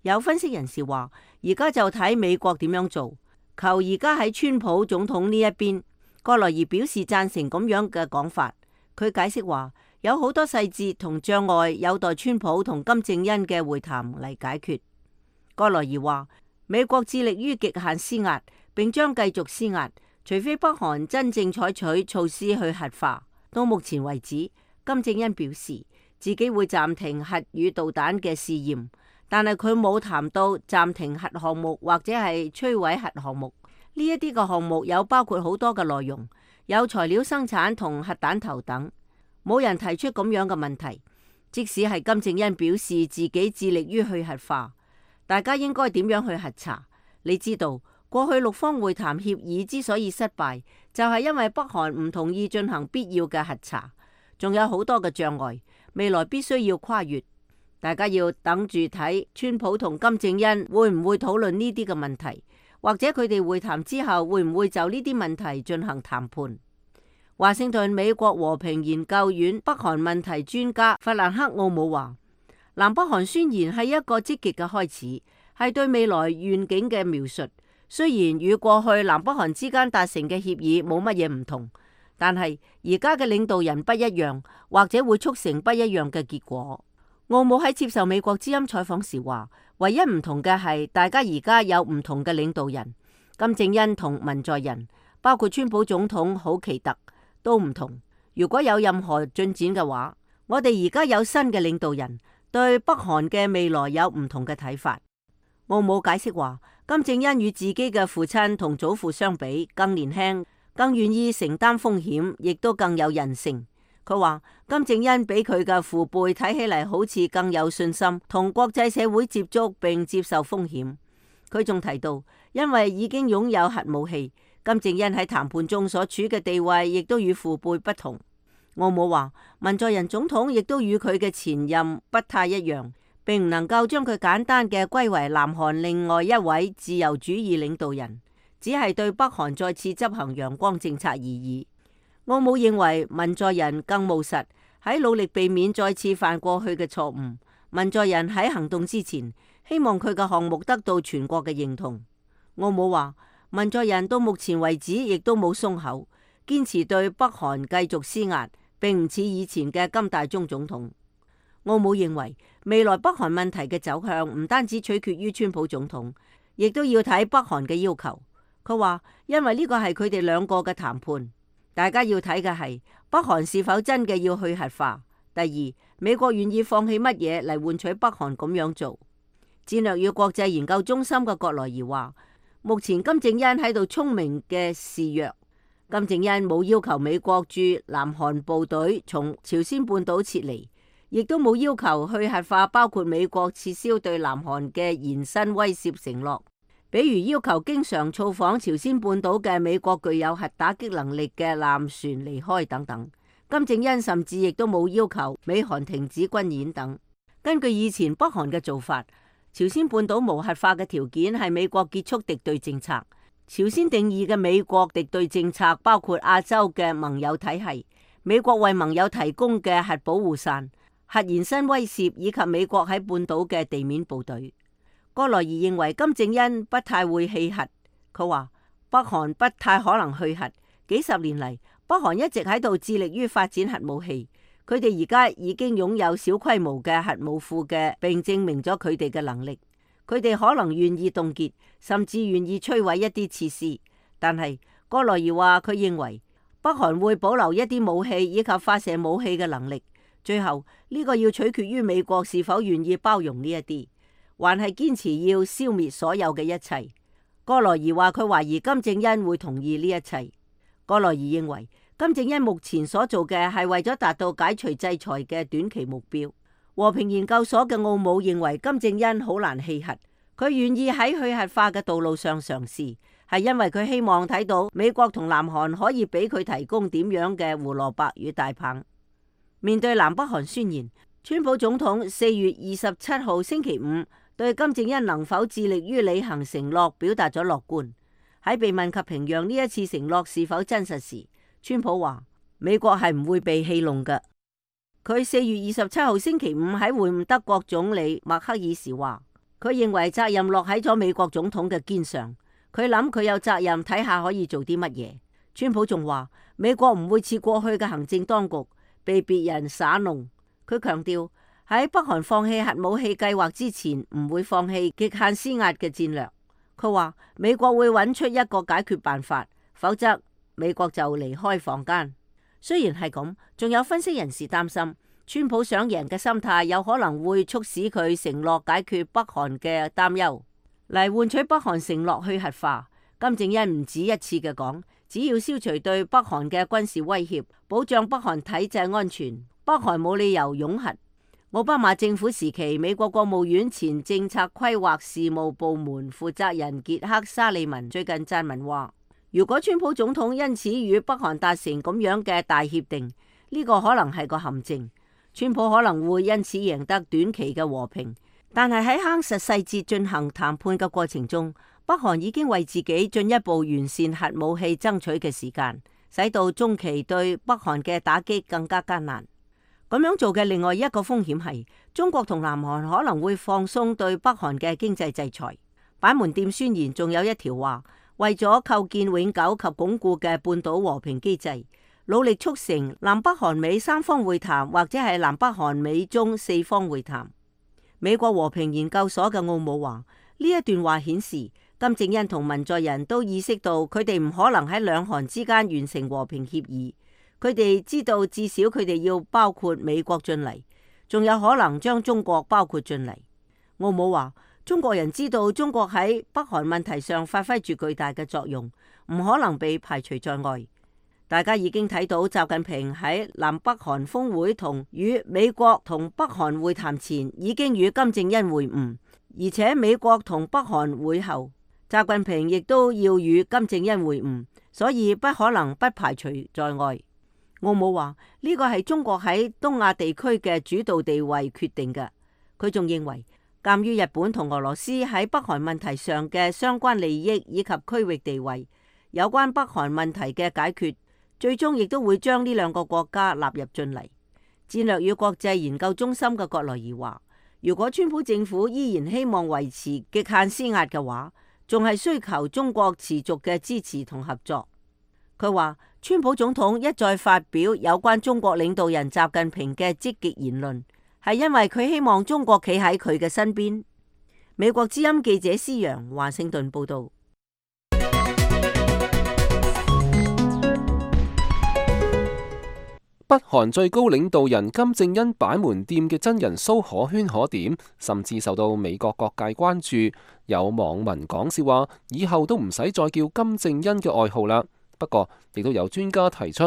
有分析人士話，而家就睇美國點樣做，求而家喺川普總統呢一邊。葛萊儀表示贊成咁樣嘅講法。佢解釋話，有好多細節同障礙有待川普同金正恩嘅會談嚟解決。葛萊儀話，美國致力於極限施壓，並將繼續施壓，除非北韓真正採取措施去核化。到目前為止，金正恩表示自己會暫停核與導彈嘅試驗，但係佢冇談到暫停核項目或者係摧毀核項目。呢一啲嘅項目有包括好多嘅內容，有材料生產同核彈頭等，冇人提出咁樣嘅問題。即使係金正恩表示自己致力於去核化，大家應該點樣去核查？你知道過去六方會談協議之所以失敗，就係因為北韓唔同意進行必要嘅核查，仲有好多嘅障礙，未來必須要跨越。大家要等住睇川普同金正恩會唔會討論呢啲嘅問題。或者佢哋會談之後會唔會就呢啲問題進行談判？華盛頓美國和平研究院北韓問題專家弗蘭克奧姆話，南北韓宣言係一個積極嘅開始，係對未來願景嘅描述。雖然與過去南北韓之間達成嘅協議冇乜嘢唔同，但係而家嘅領導人不一樣，或者會促成不一樣嘅結果。奧姆喺接受美國之音採訪時話，唯一唔同嘅係大家而家有唔同嘅領導人，金正恩同文在寅，包括川普總統好奇特都唔同。如果有任何進展嘅話，我哋而家有新嘅領導人，對北韓嘅未來有唔同嘅睇法。奧姆解釋話，金正恩與自己嘅父親同祖父相比，更年輕，更願意承擔風險，亦都更有韌性。佢話金正恩比佢嘅父輩睇起嚟好似更有信心，同國際社會接觸並接受風險。佢仲提到，因為已經擁有核武器，金正恩喺談判中所處嘅地位亦都與父輩不同。奧姆話，文在寅總統亦都與佢嘅前任不太一樣，並唔能夠將佢簡單嘅歸為南韓另外一位自由主義領導人，只係對北韓再次執行陽光政策而已。奧姆認為文在寅更務實，喺努力避免再次犯過去嘅錯誤。文在寅喺行動之前，希望佢嘅項目得到全國嘅認同。奧姆話，文在寅到目前為止亦都冇鬆口，堅持對北韓繼續施壓，並唔似以前嘅金大中總統。奧姆認為未來北韓問題嘅走向唔單止取決於川普總統，亦都要睇北韓嘅要求。佢話因為呢個係佢哋兩個嘅談判，大家要睇嘅係北韓是否真嘅要去核化。第二，美國願意放棄乜嘢嚟換取北韓咁樣做。戰略與國際研究中心嘅葛萊儀話，目前金正恩喺度聰明嘅示弱。金正恩冇要求美國駐南韓部隊從朝鮮半島撤離，亦都冇要求去核化，包括美國撤銷對南韓嘅延伸威懾承諾，比如要求經常造訪朝鮮半島嘅美國具有核打擊能力嘅艦船離開等等。金正恩甚至亦都冇要求美韓停止軍演等。根據以前北韓嘅做法，朝鮮半島無核化嘅條件係美國結束敵對政策。朝鮮定義嘅美國敵對政策包括亞洲嘅盟友體系、美國為盟友提供嘅核保護傘、核延伸威懾以及美國喺半島嘅地面部隊。葛萊儀認為金正恩不太會棄核。佢話北韓不太可能去核。幾十年嚟，北韓一直喺度致力於發展核武器。佢哋而家已經擁有小規模嘅核武庫嘅，並證明咗佢哋嘅能力。佢哋可能願意凍結，甚至願意摧毀一啲設施。但係葛萊儀話佢認為北韓會保留一啲武器以及發射武器嘅能力。最後呢個要取決於美國是否願意包容呢一啲，還係堅持要消滅所有嘅一切。葛萊儀話佢懷疑金正恩會同意呢一切。葛萊儀認為金正恩目前所做嘅係為咗達到解除制裁嘅短期目標。和平研究所嘅奧姆認為金正恩好難棄核，佢願意喺去核化嘅道路上嘗試，係因為佢希望睇到美國同南韓可以俾佢提供點樣嘅胡蘿蔔與大棒。面對南北韓宣言，川普總統四月二十七號星期五對金正恩能否致力於履行承諾表達咗樂觀。喺被問及平壤呢一次承諾是否真實時，川普話美國係唔會被戲弄嘅。佢四月二十七號星期五喺會晤德國總理默克爾時話，佢認為責任落喺咗美國總統嘅肩上，佢諗佢有責任睇下可以做啲乜嘢。川普仲話美國唔會似過去嘅行政當局被別人耍弄。佢強調喺北韓放棄核武器計劃之前，唔會放棄極限施壓嘅戰略。佢話美國會揾出一個解決辦法，否則美國就離開房間。雖然係咁，仲有分析人士擔心，川普想贏嘅心態有可能會促使佢承諾解決北韓嘅擔憂，嚟換取北韓承諾去核化。金正恩唔止一次嘅講，只要消除對北韓嘅軍事威脅，保障北韓體制安全，北韓冇理由擁核。奧巴馬政府時期，美國國務院前政策規劃事務部門負責人傑克沙利文最近撰文話，如果川普總統因此與北韓達成咁樣嘅大協定，呢個可能係個陷阱。川普可能會因此贏得短期嘅和平，但係喺夯實細節進行談判嘅過程中，北韓已經為自己進一步完善核武器爭取嘅時間，使到中期對北韓嘅打擊更加艱難。咁樣做嘅另外一個風險係，中國同南韓可能會放鬆對北韓嘅經濟制裁。板門店宣言仲有一條話，為咗構建永久及鞏固嘅半島和平機制，努力促成南北韓美三方會談，或者係南北韓美中四方會談。美國和平研究所嘅奧姆話，呢一段話顯示金正恩同文在寅都意識到佢哋唔可能喺兩韓之間完成和平協議。佢哋知道至少佢哋要包括美國進嚟，仲有可能將中國包括進嚟。奧姆話，中國人知道中國喺北韓問題上發揮住巨大嘅作用，唔可能被排除在外。大家已經睇到習近平喺南北韓峰會同與美國同北韓會談前，已經與金正恩會晤，而且美國同北韓會後，習近平亦都要與金正恩會晤，所以不可能不排除在外。奧姆話呢個係中國喺東亞地區嘅主導地位決定嘅。佢仲認為，鑒於日本同俄羅斯喺北韓問題上嘅相關利益以及區域地位，有關北韓問題嘅解決，最終亦都會將呢兩個國家納入進嚟。戰略與國際研究中心嘅葛萊儀話，如果川普政府依然希望維持極限施壓嘅話，仲係需求中國持續嘅支持同合作。佢話，川普總統一再發表有關中國領導人習近平嘅積極言論，係因為佢希望中國企喺佢嘅身邊。美國之音記者施洋華盛頓報道。北韓最高領導人金正恩板門店嘅真人 show 可圈可點，甚至受到美國各界關注。有網民講笑話，以後都唔使再叫金正恩嘅外號啦。不過，亦都有專家提出，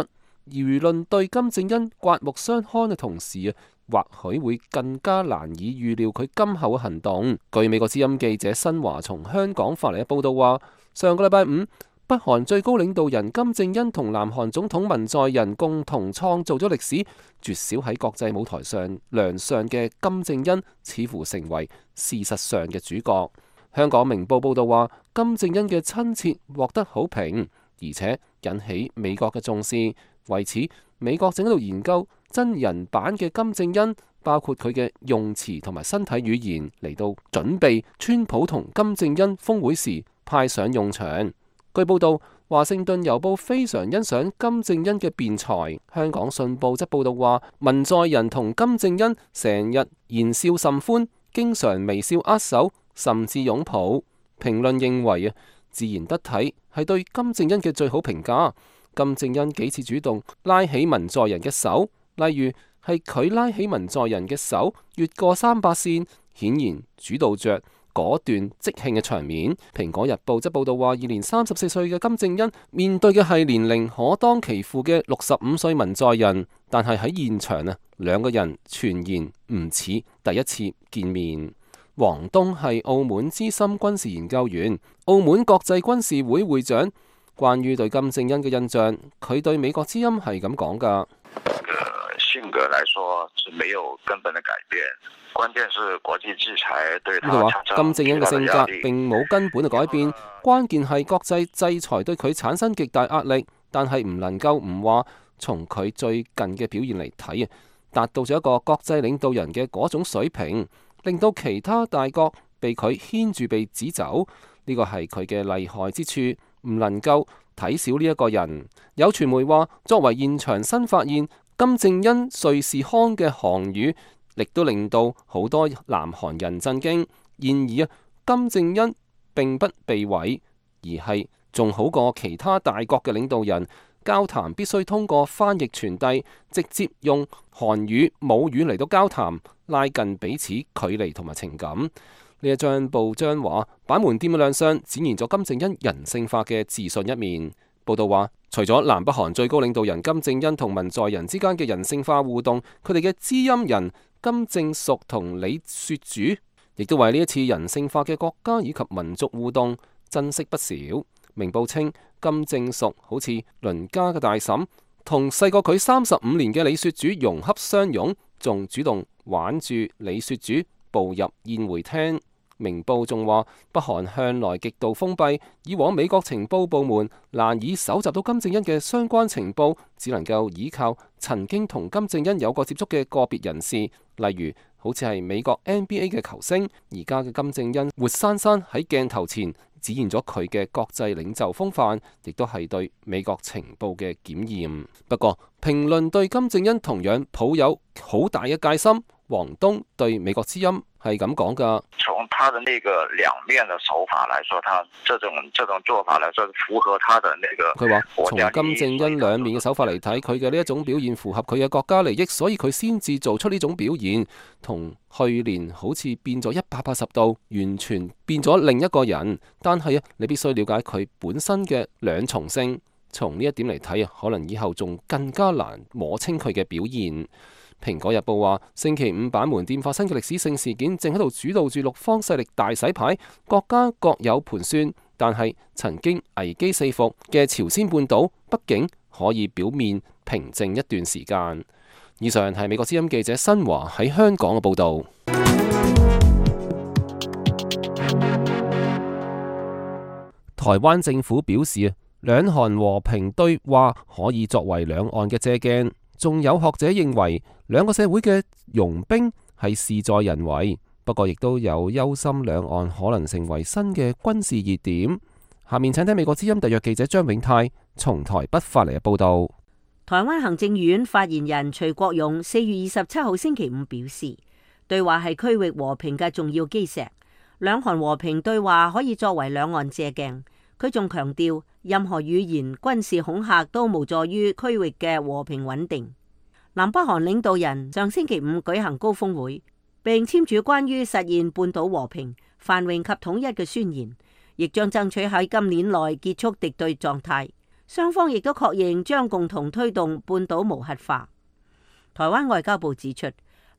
輿論對金正恩刮目相看嘅同時啊，或許會更加難以預料佢今後嘅行動。據美國之音記者新華從香港發嚟嘅報道話，上個禮拜五，北韓最高領導人金正恩同南韓總統文在寅共同創造咗歷史，絕少喺國際舞台上亮相嘅金正恩，似乎成為事實上嘅主角。香港明報報道話，金正恩嘅親切獲得好評，而且引起美國嘅重視。為此，美國正喺度研究真人版嘅金正恩，包括佢嘅用詞同埋身體語言，嚟到準備川普同金正恩峰會時派上用場。據報道，華盛頓郵報非常欣賞金正恩嘅辯才。香港信報則報道話，文在寅同金正恩成日言笑甚歡，經常微笑握手，甚至擁抱。評論認為啊，自然得體係對金正恩嘅最好評價。金正恩幾次主動拉起文在寅嘅手，例如係佢拉起文在寅嘅手越過三八線，顯然主導着果斷即興嘅場面。蘋果日報則報道話，現年三十四歲嘅金正恩面對嘅係年齡可當其父嘅六十五歲文在寅，但係喺現場啊，兩個人全然唔似第一次見面。王東係澳門資深軍事研究員、澳門國際軍事會會長。關於對金正恩嘅印象，佢對美國之音係咁講噶。性格來說是沒有根本的改變，關鍵是國際制裁對他。佢話金正恩嘅性格並冇根本嘅改變，關鍵係國際制裁對佢產生極大壓力，但係唔能夠唔話從佢最近嘅表現嚟睇啊，達到咗一個國際領導人嘅嗰種水平，令到其他大國被佢牽住鼻子走，呢個係佢嘅厲害之處，唔能夠睇小呢一個人。有傳媒話，作為現場新發現，金正恩瑞士腔嘅韓語，亦都令到好多南韓人震驚。然而啊，金正恩並不被毀，而係仲好過其他大國嘅領導人。交談必須通過翻譯傳遞，直接用韓語母語嚟到交談，拉近彼此距離同埋情感。呢一張報章話，板門店嘅亮相展現咗金正恩人性化嘅自信一面。報道話，除咗南北韓最高領導人金正恩同文在寅之間嘅人性化互動，佢哋嘅知音人金正淑同李雪主，亦都為呢一次人性化嘅國家以及民族互動珍惜不少。明報稱，金正淑好似鄰家嘅大嬸，同細過佢三十五年嘅李雪主融洽相擁，仲主動挽住李雪主步入宴會廳。明報仲話，北韓向來極度封閉，以往美國情報部門難以搜集到金正恩嘅相關情報，只能夠依靠曾經同金正恩有過接觸嘅個別人士，例如好似係美國 N B A 嘅球星。而家嘅金正恩活生生喺鏡頭前展現咗佢嘅國際領袖風範，亦都係對美國情報嘅檢驗。不過，評論對金正恩同樣抱有好大嘅戒心。王東對美國之音係咁講噶。從他的那個兩面的手法來說，他這種這種做法來說符合他的那個。佢話從金正恩兩面嘅手法嚟睇，佢嘅呢一種表現符合佢嘅國家利益，所以佢先至做出呢種表現。同去年好似變咗一百八十度，完全變咗另一個人。但係啊，你必須了解佢本身嘅兩重性。從呢一點嚟睇啊，可能以後仲更加難摸清佢嘅表現。蘋果日報話，星期五板門店發生嘅歷史性事件，正喺度主導住六方勢力大洗牌，各家各有盤算。但係曾經危機四伏嘅朝鮮半島，畢竟可以表面平靜一段時間。以上係美國之音記者新華喺香港嘅報導。台灣政府表示，兩韓和平對話可以作為兩岸嘅借鏡。仲有學者認為，兩個社會嘅融冰係事在人為，不過亦都有憂心兩岸可能成為新嘅軍事熱點。下面請聽美國之音特約記者張永泰從台北發嚟嘅報道。台灣行政院發言人徐國勇四月二十七號星期五表示，對話係區域和平嘅重要基石，兩韓和平對話可以作為兩岸借鏡。佢仲強調，任何語言、軍事恐嚇都無助於區域嘅和平穩定。南北韓領導人上星期五舉行高峰會，並簽署關於實現半島和平、繁榮及統一嘅宣言，亦將爭取喺今年內結束敵對狀態。雙方亦都確認將共同推動半島無核化。台灣外交部指出，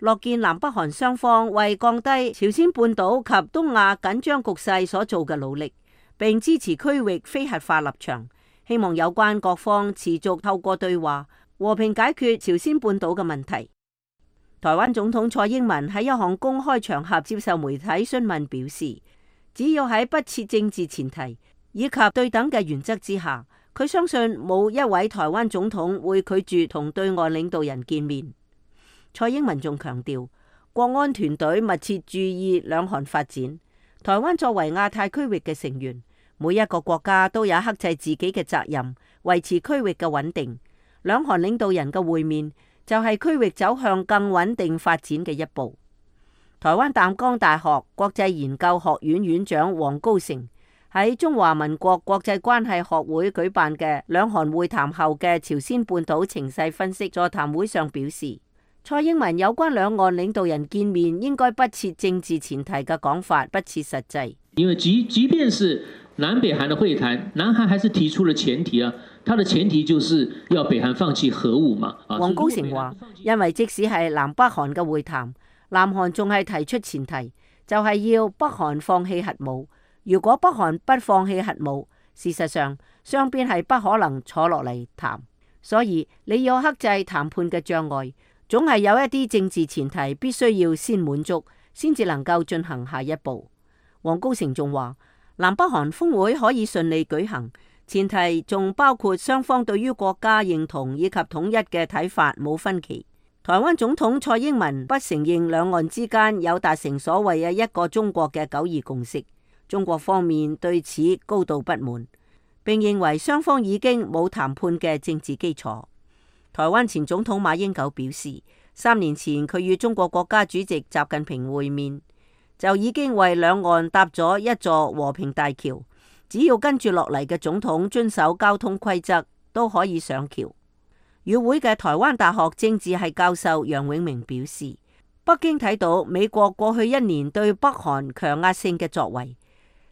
樂見南北韓雙方為降低朝鮮半島及東亞緊張局勢所做嘅努力，並支持區域非核化立場，希望有關各方持續透過對話和平解決朝鮮半島嘅問題。台灣總統蔡英文喺一項公開場合接受媒體詢問表示，只要喺不設政治前提以及對等嘅原則之下，佢相信冇一位台灣總統會拒絕同對岸領導人見面。蔡英文仲強調，國安團隊密切注意兩韓發展。台灣作為亞太區域嘅成員，每一個國家都有克制自己嘅責任，維持區域嘅穩定。兩韓領導人嘅會面就係區域走向更穩定發展嘅一步。台灣淡江大學國際研究學院院長黃高成喺中華民國國際關係學會舉辦嘅兩韓會談後嘅朝鮮半島情勢分析座談會上表示，蔡英文有關兩岸領導人見面應該不設政治前提嘅講法不切實際。因為即即便是南北韓的會談，南韓還是提出了前提啊，它的前提就是要北韓放棄核武嘛。黃高成話，因為即使係南北韓嘅會談，南韓仲係提出前提，就係、是、要北韓放棄核武。如果北韓不放棄核武，事實上雙邊係不可能坐落嚟談。所以你要克制談判嘅障礙，總係有一啲政治前提必須要先滿足，先至能夠進行下一步。黃高成仲話，南北韓峰會可以順利舉行，前提仲包括雙方對於國家認同以及統一嘅睇法冇分歧。台灣總統蔡英文不承認兩岸之間有達成所謂嘅一個中國嘅九二共識，中國方面對此高度不滿，並認為雙方已經冇談判嘅政治基礎。台灣前總統馬英九表示，三年前佢與中國國家主席習近平會面，就已經為兩岸搭咗一座和平大橋，只要跟住落嚟嘅總統遵守交通規則，都可以上橋。與會嘅台灣大學政治系教授楊永明表示，北京睇到美國過去一年對北韓強壓性嘅作為，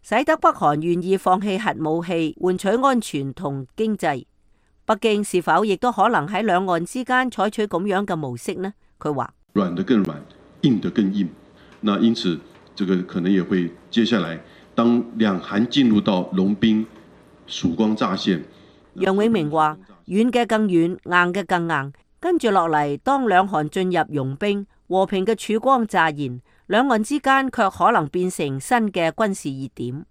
使得北韓願意放棄核武器，換取安全同經濟。北京是否亦都可能喺兩岸之間採取咁樣嘅模式呢？佢話軟得更軟，硬得更硬。那因此，這個可能也會接下來，當兩韓進入到融冰、曙光乍現。楊永明話：軟嘅更軟，硬嘅更硬。跟住落嚟，當兩韓進入融冰，和平嘅曙光乍現，兩岸之間卻可能變成新嘅軍事熱點。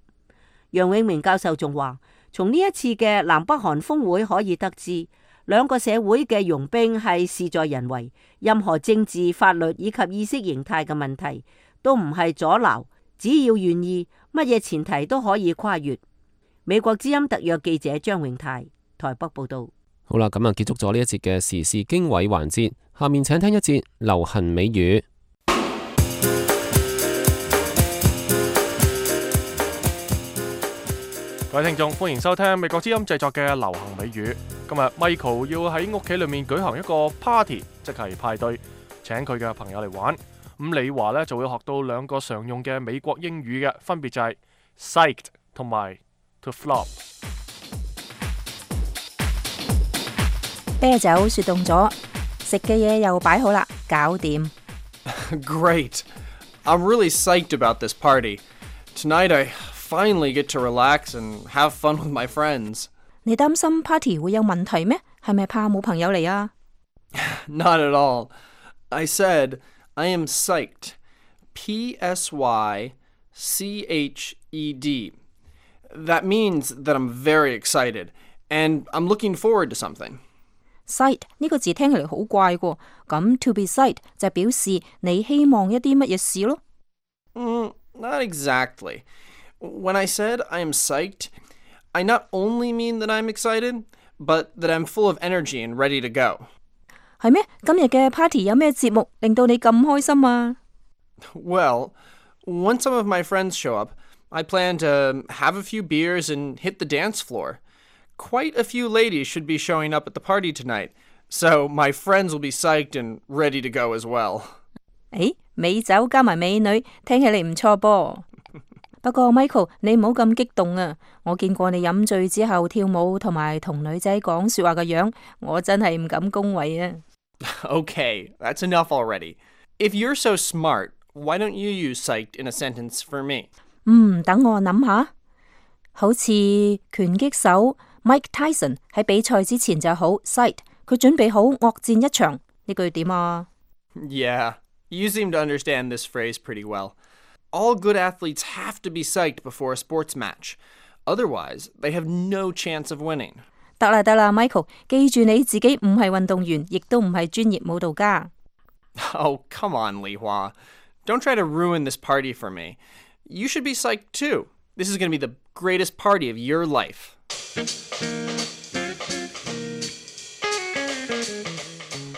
楊永明教授仲話：從呢一次嘅南北韓峰會可以得知，兩個社會嘅融冰係事在人為，任何政治、法律以及意識形態嘅問題都唔係阻撓，只要願意，乜嘢前提都可以跨越。美國之音特約記者張永泰台北報道。好啦，咁啊結束咗呢一節嘅時事經緯環節，下面請聽一節流行美語。各位聽眾，歡迎收聽美國之音製作嘅流行美語。今日 Michael 要喺屋企裏面舉行一個 party， 即係派對，請佢嘅朋友嚟玩。咁李華呢就會學到兩個常用嘅美國英語嘅，分別就係 psyched 同埋 to flop。啤酒雪凍咗，食嘅嘢又擺好啦，搞掂。Great! I'm really psyched about this party. Tonight I finally get to relax and have fun with my friends. 你擔心 party 會有問題咩？係咪怕冇朋友嚟啊？ Not at all. I said I am psyched. P S Y C H E D. That means that I'm very excited and I'm looking forward to something. Psyched 呢個字聽起嚟好怪喎，咁 to be psyched 就表示你希望一啲乜嘢事咯。Mm, not exactly. When I said I am psyched, I not only mean that I'm excited, but that I'm full of energy and ready to go. 係咩？今日嘅 party 有咩節目令到你咁開心啊？ Well, Once some of my friends show up, I plan to have a few beers and hit the dance floor. Quite a few ladies should be showing up at the party tonight, so my friends will be psyched and ready to go as well. 誒，美酒加埋美女，聽起嚟唔錯噃。不過 Michael， 你唔好咁激動啊！我見過你飲醉之後跳舞同埋同女仔講說話嘅樣，我真係唔敢恭維啊。Okay, that's enough already. If you're so smart, why don't you use psyched in a sentence for me? 嗯，等我諗下。好似拳擊手 Mike Tyson 喺比賽之前就好 psyched， 佢準備好惡戰一場，呢句點啊？ Yeah, you seem to understand this phrase pretty well. All good athletes have to be psyched before a sports match. Otherwise, they have no chance of winning. 得啦得啦 ，Michael， 記住你自己唔係運動員，亦都唔係專業舞蹈家。Oh, come on, Li Hua. Don't try to ruin this party for me. You should be psyched too. This is going to be the greatest party of your life.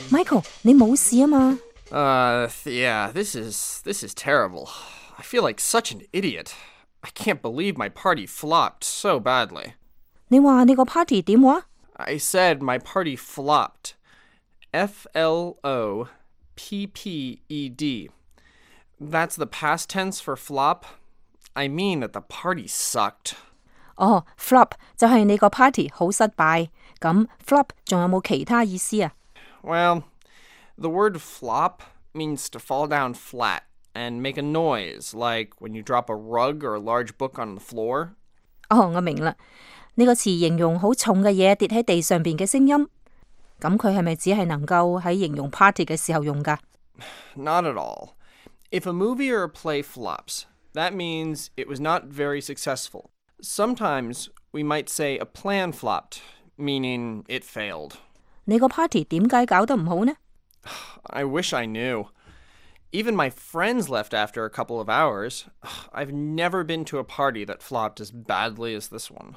Michael， 你冇事啊嘛？ Uh, yeah, this is this is terrible. I feel like such an idiot. I can't believe my party flopped so badly. 你話你個 party 點話？ I said my party flopped. F L O P P E D. That's the past tense for flop. I mean that the party sucked. 哦 flop 就係你個 party 好失敗。咁 flop 仲有冇其他意思啊？ Well, the word flop means to fall down flat and make a noise, like when you drop a rug or a large book on the floor. 哦，我明啦。呢個詞形容好重嘅嘢跌喺地上邊嘅聲音。咁佢係咪只係能夠喺形容 party 嘅時候用㗎？ Not at all. If a movie or a play flops, that means it was not very successful. Sometimes we might say a plan flopped, meaning it failed. 你個 party 點解搞得唔好呢？ I wish I knew. Even my friends left after a couple of hours. I've never been to a party that flopped as badly as this one.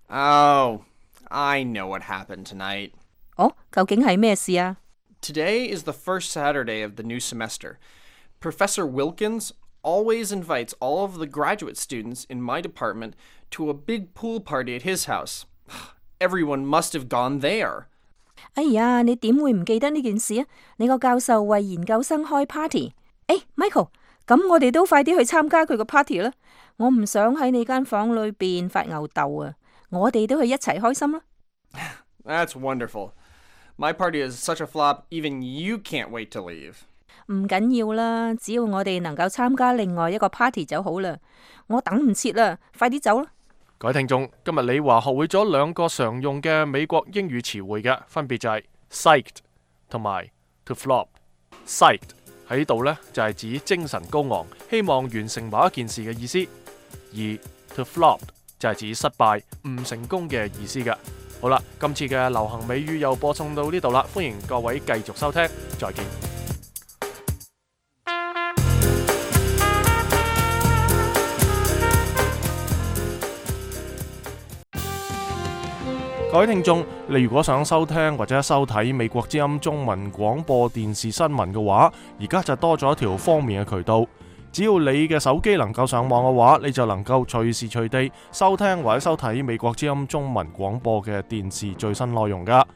Oh, I know what happened tonight. 哦，究竟係咩事啊？ Today is the first Saturday of the new semester. Professor Wilkins always invites all of the graduate students in my department to a big pool party at his house. Everyone must have gone there. 哎呀，你點會唔記得呢件事啊？你個教授為研究生開 party。誒 ，Michael， 咁我哋都快啲去參加佢個 party 啦！我唔想喺你間房裏邊發吽哣啊！我哋都去一齊開心啦。That's wonderful. My party is such a flop, even you can't wait to leave. 唔緊要啦，只要我哋能夠參加另外一個 party 就好啦。我等唔切啦，快啲走啦！各位聽眾，今日李華學會咗兩個常用嘅美國英語詞彙嘅，分別就係 psyched 同埋 to flop。psyched 喺度呢，就係指精神高昂，希望完成某一件事嘅意思，而 to flop 就係指失敗、唔成功嘅意思嘅。好啦，今次嘅流行美語又播送到呢度啦，歡迎各位繼續收聽，再見。各位聽眾，你如果想收聽或者收睇美國之音中文廣播電視新聞嘅話，而家就多咗一條方便嘅渠道。只要你嘅手機能夠上網嘅話，你就能夠隨時隨地收聽或者收睇美國之音中文廣播嘅電視最新內容噶。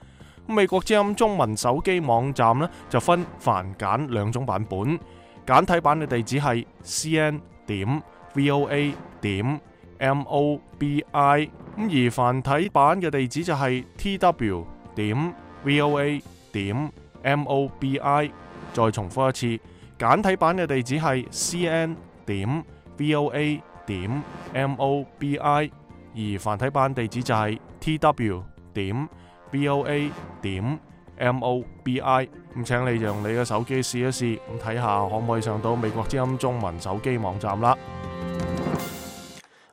美國之音中文手機網站呢，就分繁簡兩種版本，簡體版嘅地址係 c n 點 v o a 點 m o b i， 咁而繁體版嘅地址就係 t w 點 v o a 點 m o b i。再重複一次，簡體版嘅地址係 c n 點 v o a 點 m o b i， 而繁體版地址就係 t w 點 v o a 點 m o b i。 咁請你用你嘅手機試一試，咁睇下可唔可以上到美國之音中文手機網站啦。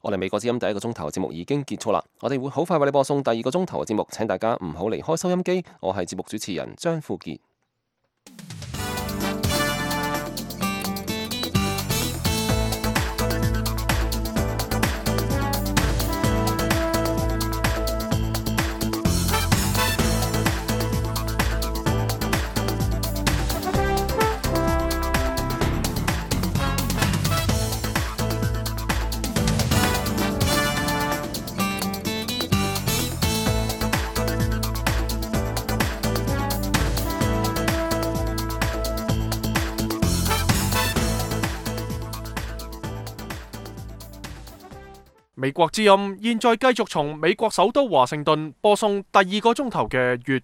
我哋美國之音第一個鐘頭嘅節目已經結束啦，我哋會好快為你播送第二個鐘頭嘅節目，請大家唔好離開收音機。我係節目主持人張富傑。美國之音現在繼續從美國首都華盛頓播送第二個鐘頭嘅粵